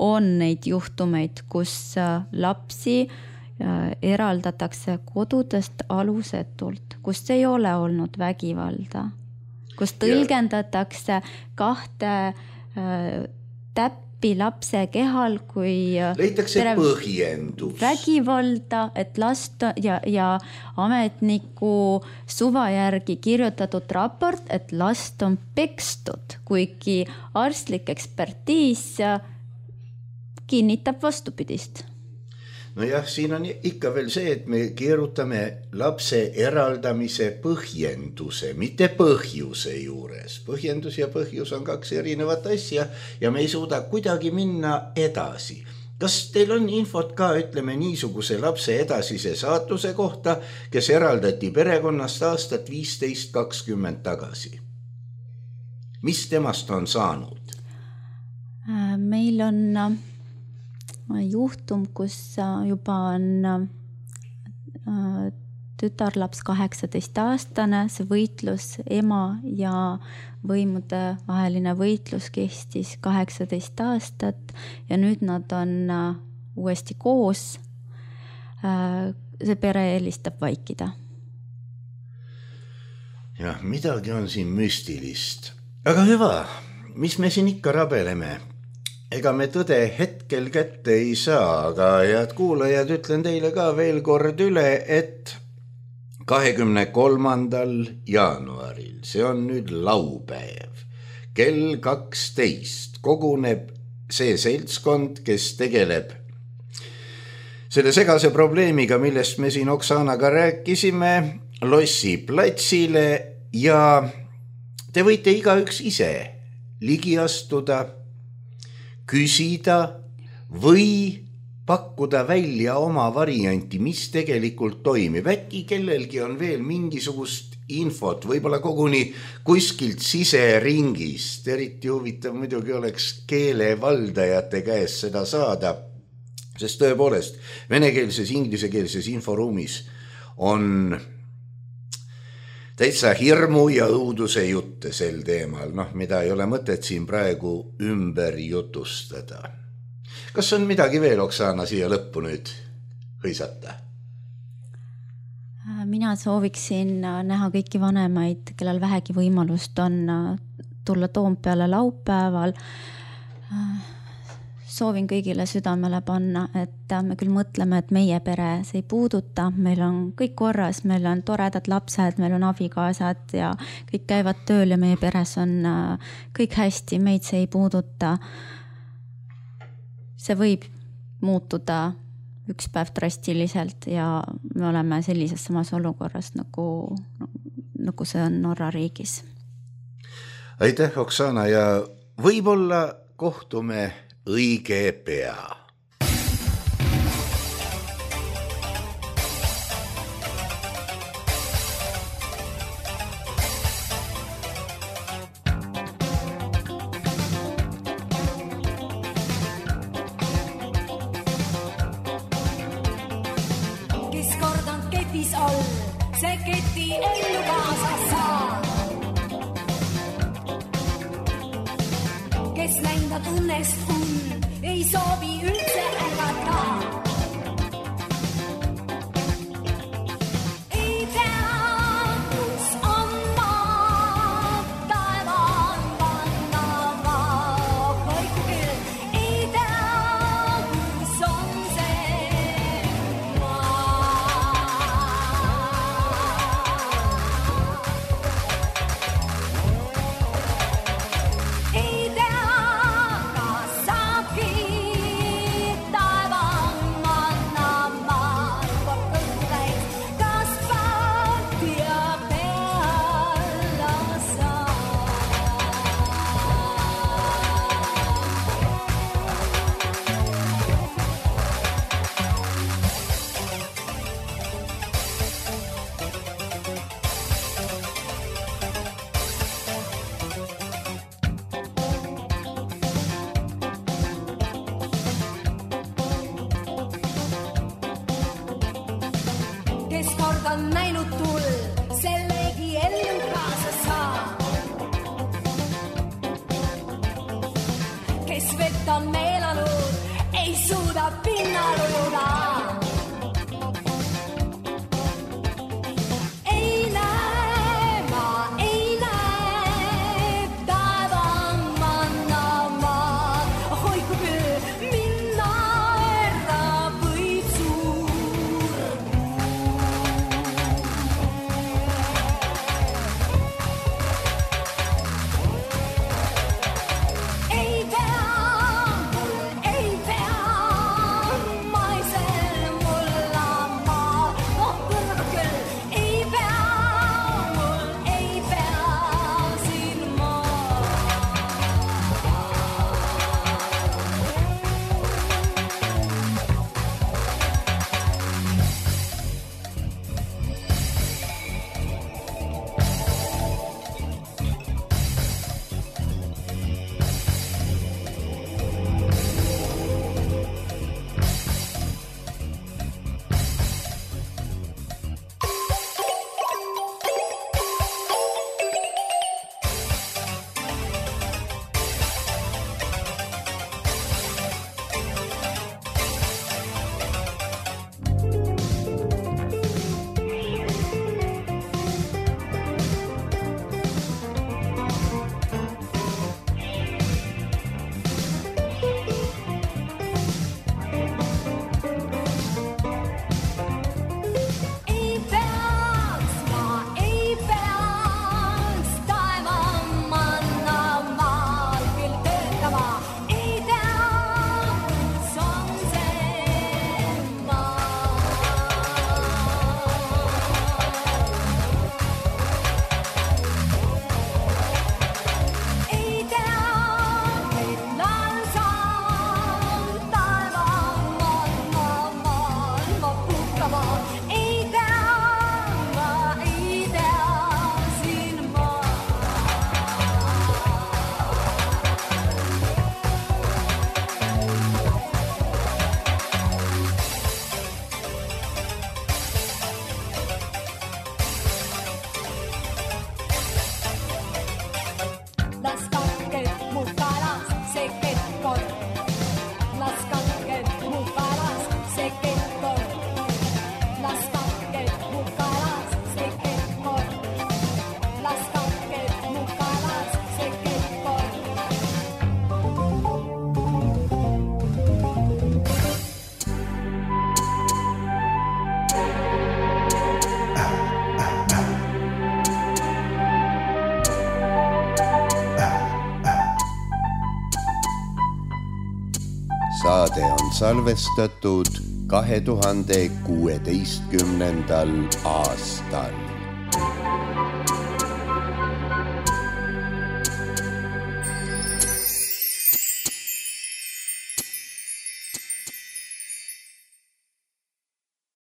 on neid juhtumeid, kus lapsi eraldatakse kodudest alusetult, kus ei ole olnud vägivalda, kus tõlgendatakse kahte täppi lapse kehal, kui leitakse põhjendus. Vägivalda, et last ja ametniku suva järgi kirjutatud raport, et last on pekstud, kuigi arstlik ekspertiis kinnitab vastupidist. No jah, siin on ikka veel see, et me keerutame lapse eraldamise põhjenduse, mitte põhjuse juures. Põhjendus ja põhjus on kaks erinevat asja ja me ei suuda kuidagi minna edasi. Kas teil on infot ka, ütleme, niisuguse lapse edasise saatuse kohta, kes eraldati perekonnast aastat 15-20 tagasi? Mis temast on saanud? Meil on juhtum, kus juba on tütarlaps 18-aastane, see võitlus ema ja võimude vaheline võitlus kestis 18 aastat ja nüüd nad on uuesti koos. See pere eelistab vaikida. Jah, midagi on siin müstilist. Aga hüva, mis me siin ikka rabeleme? Ega me tõde hetkel kätte ei saa, aga head kuulajad, ütlen teile ka veel kord üle, et 23. jaanuaril, see on nüüd laupäev, kell 12 koguneb see seltskond, kes tegeleb selle segase probleemiga, millest me siin Oksanaga rääkisime, Lossi platsile ja te võite igaüks ise ligi astuda, küsida või pakkuda välja oma varianti, mis tegelikult toimib. Äkki kellelgi on veel mingisugust infot, võib-olla koguni kuskilt siseringist. Eriti huvitav muidugi oleks keelevaldajate käest seda saada, sest tõepoolest venekeelses, inglisekeelses inforuumis on täitsa hirmu ja õuduse jutte sel teemal, mida ei ole mõtet siin praegu ümber jutustada. Kas on midagi veel, Oksana, siia lõppu nüüd hõisata? Mina sooviksin näha kõiki vanemaid, kellel vähegi võimalust on tulla Toompeale laupäeval. Soovin kõigile südamele panna, et me küll mõtleme, et meie pere see ei puuduta, meil on kõik korras, meil on toredad lapsed, meil on abikaasad ja kõik käivad tööl ja meie peres on kõik hästi, meid see ei puuduta. See võib muutuda üks päev drastiliselt ja me oleme sellises samas olukorras, nagu see on Norra riigis. Aitäh, Oksana, ja võib-olla kohtume õige pea. ketis all, see keti ellu kaasa saa. Kes näinda tunnest on, ei soovi üldse ägata. Ei tea, kus on maa, taevaan panna maa. Hoiku küll, ei tea, kus on see maa. Ei tea, on näinud tull, sellegi ellu kaasa saa. Kes vett on meelanud, ei suuda pinnal ujuda. Ei näe, ma ei näe, taevaan manna maa. Hoiku küll, minna ära võib suur. Saade on salvestatud 2016. aastal.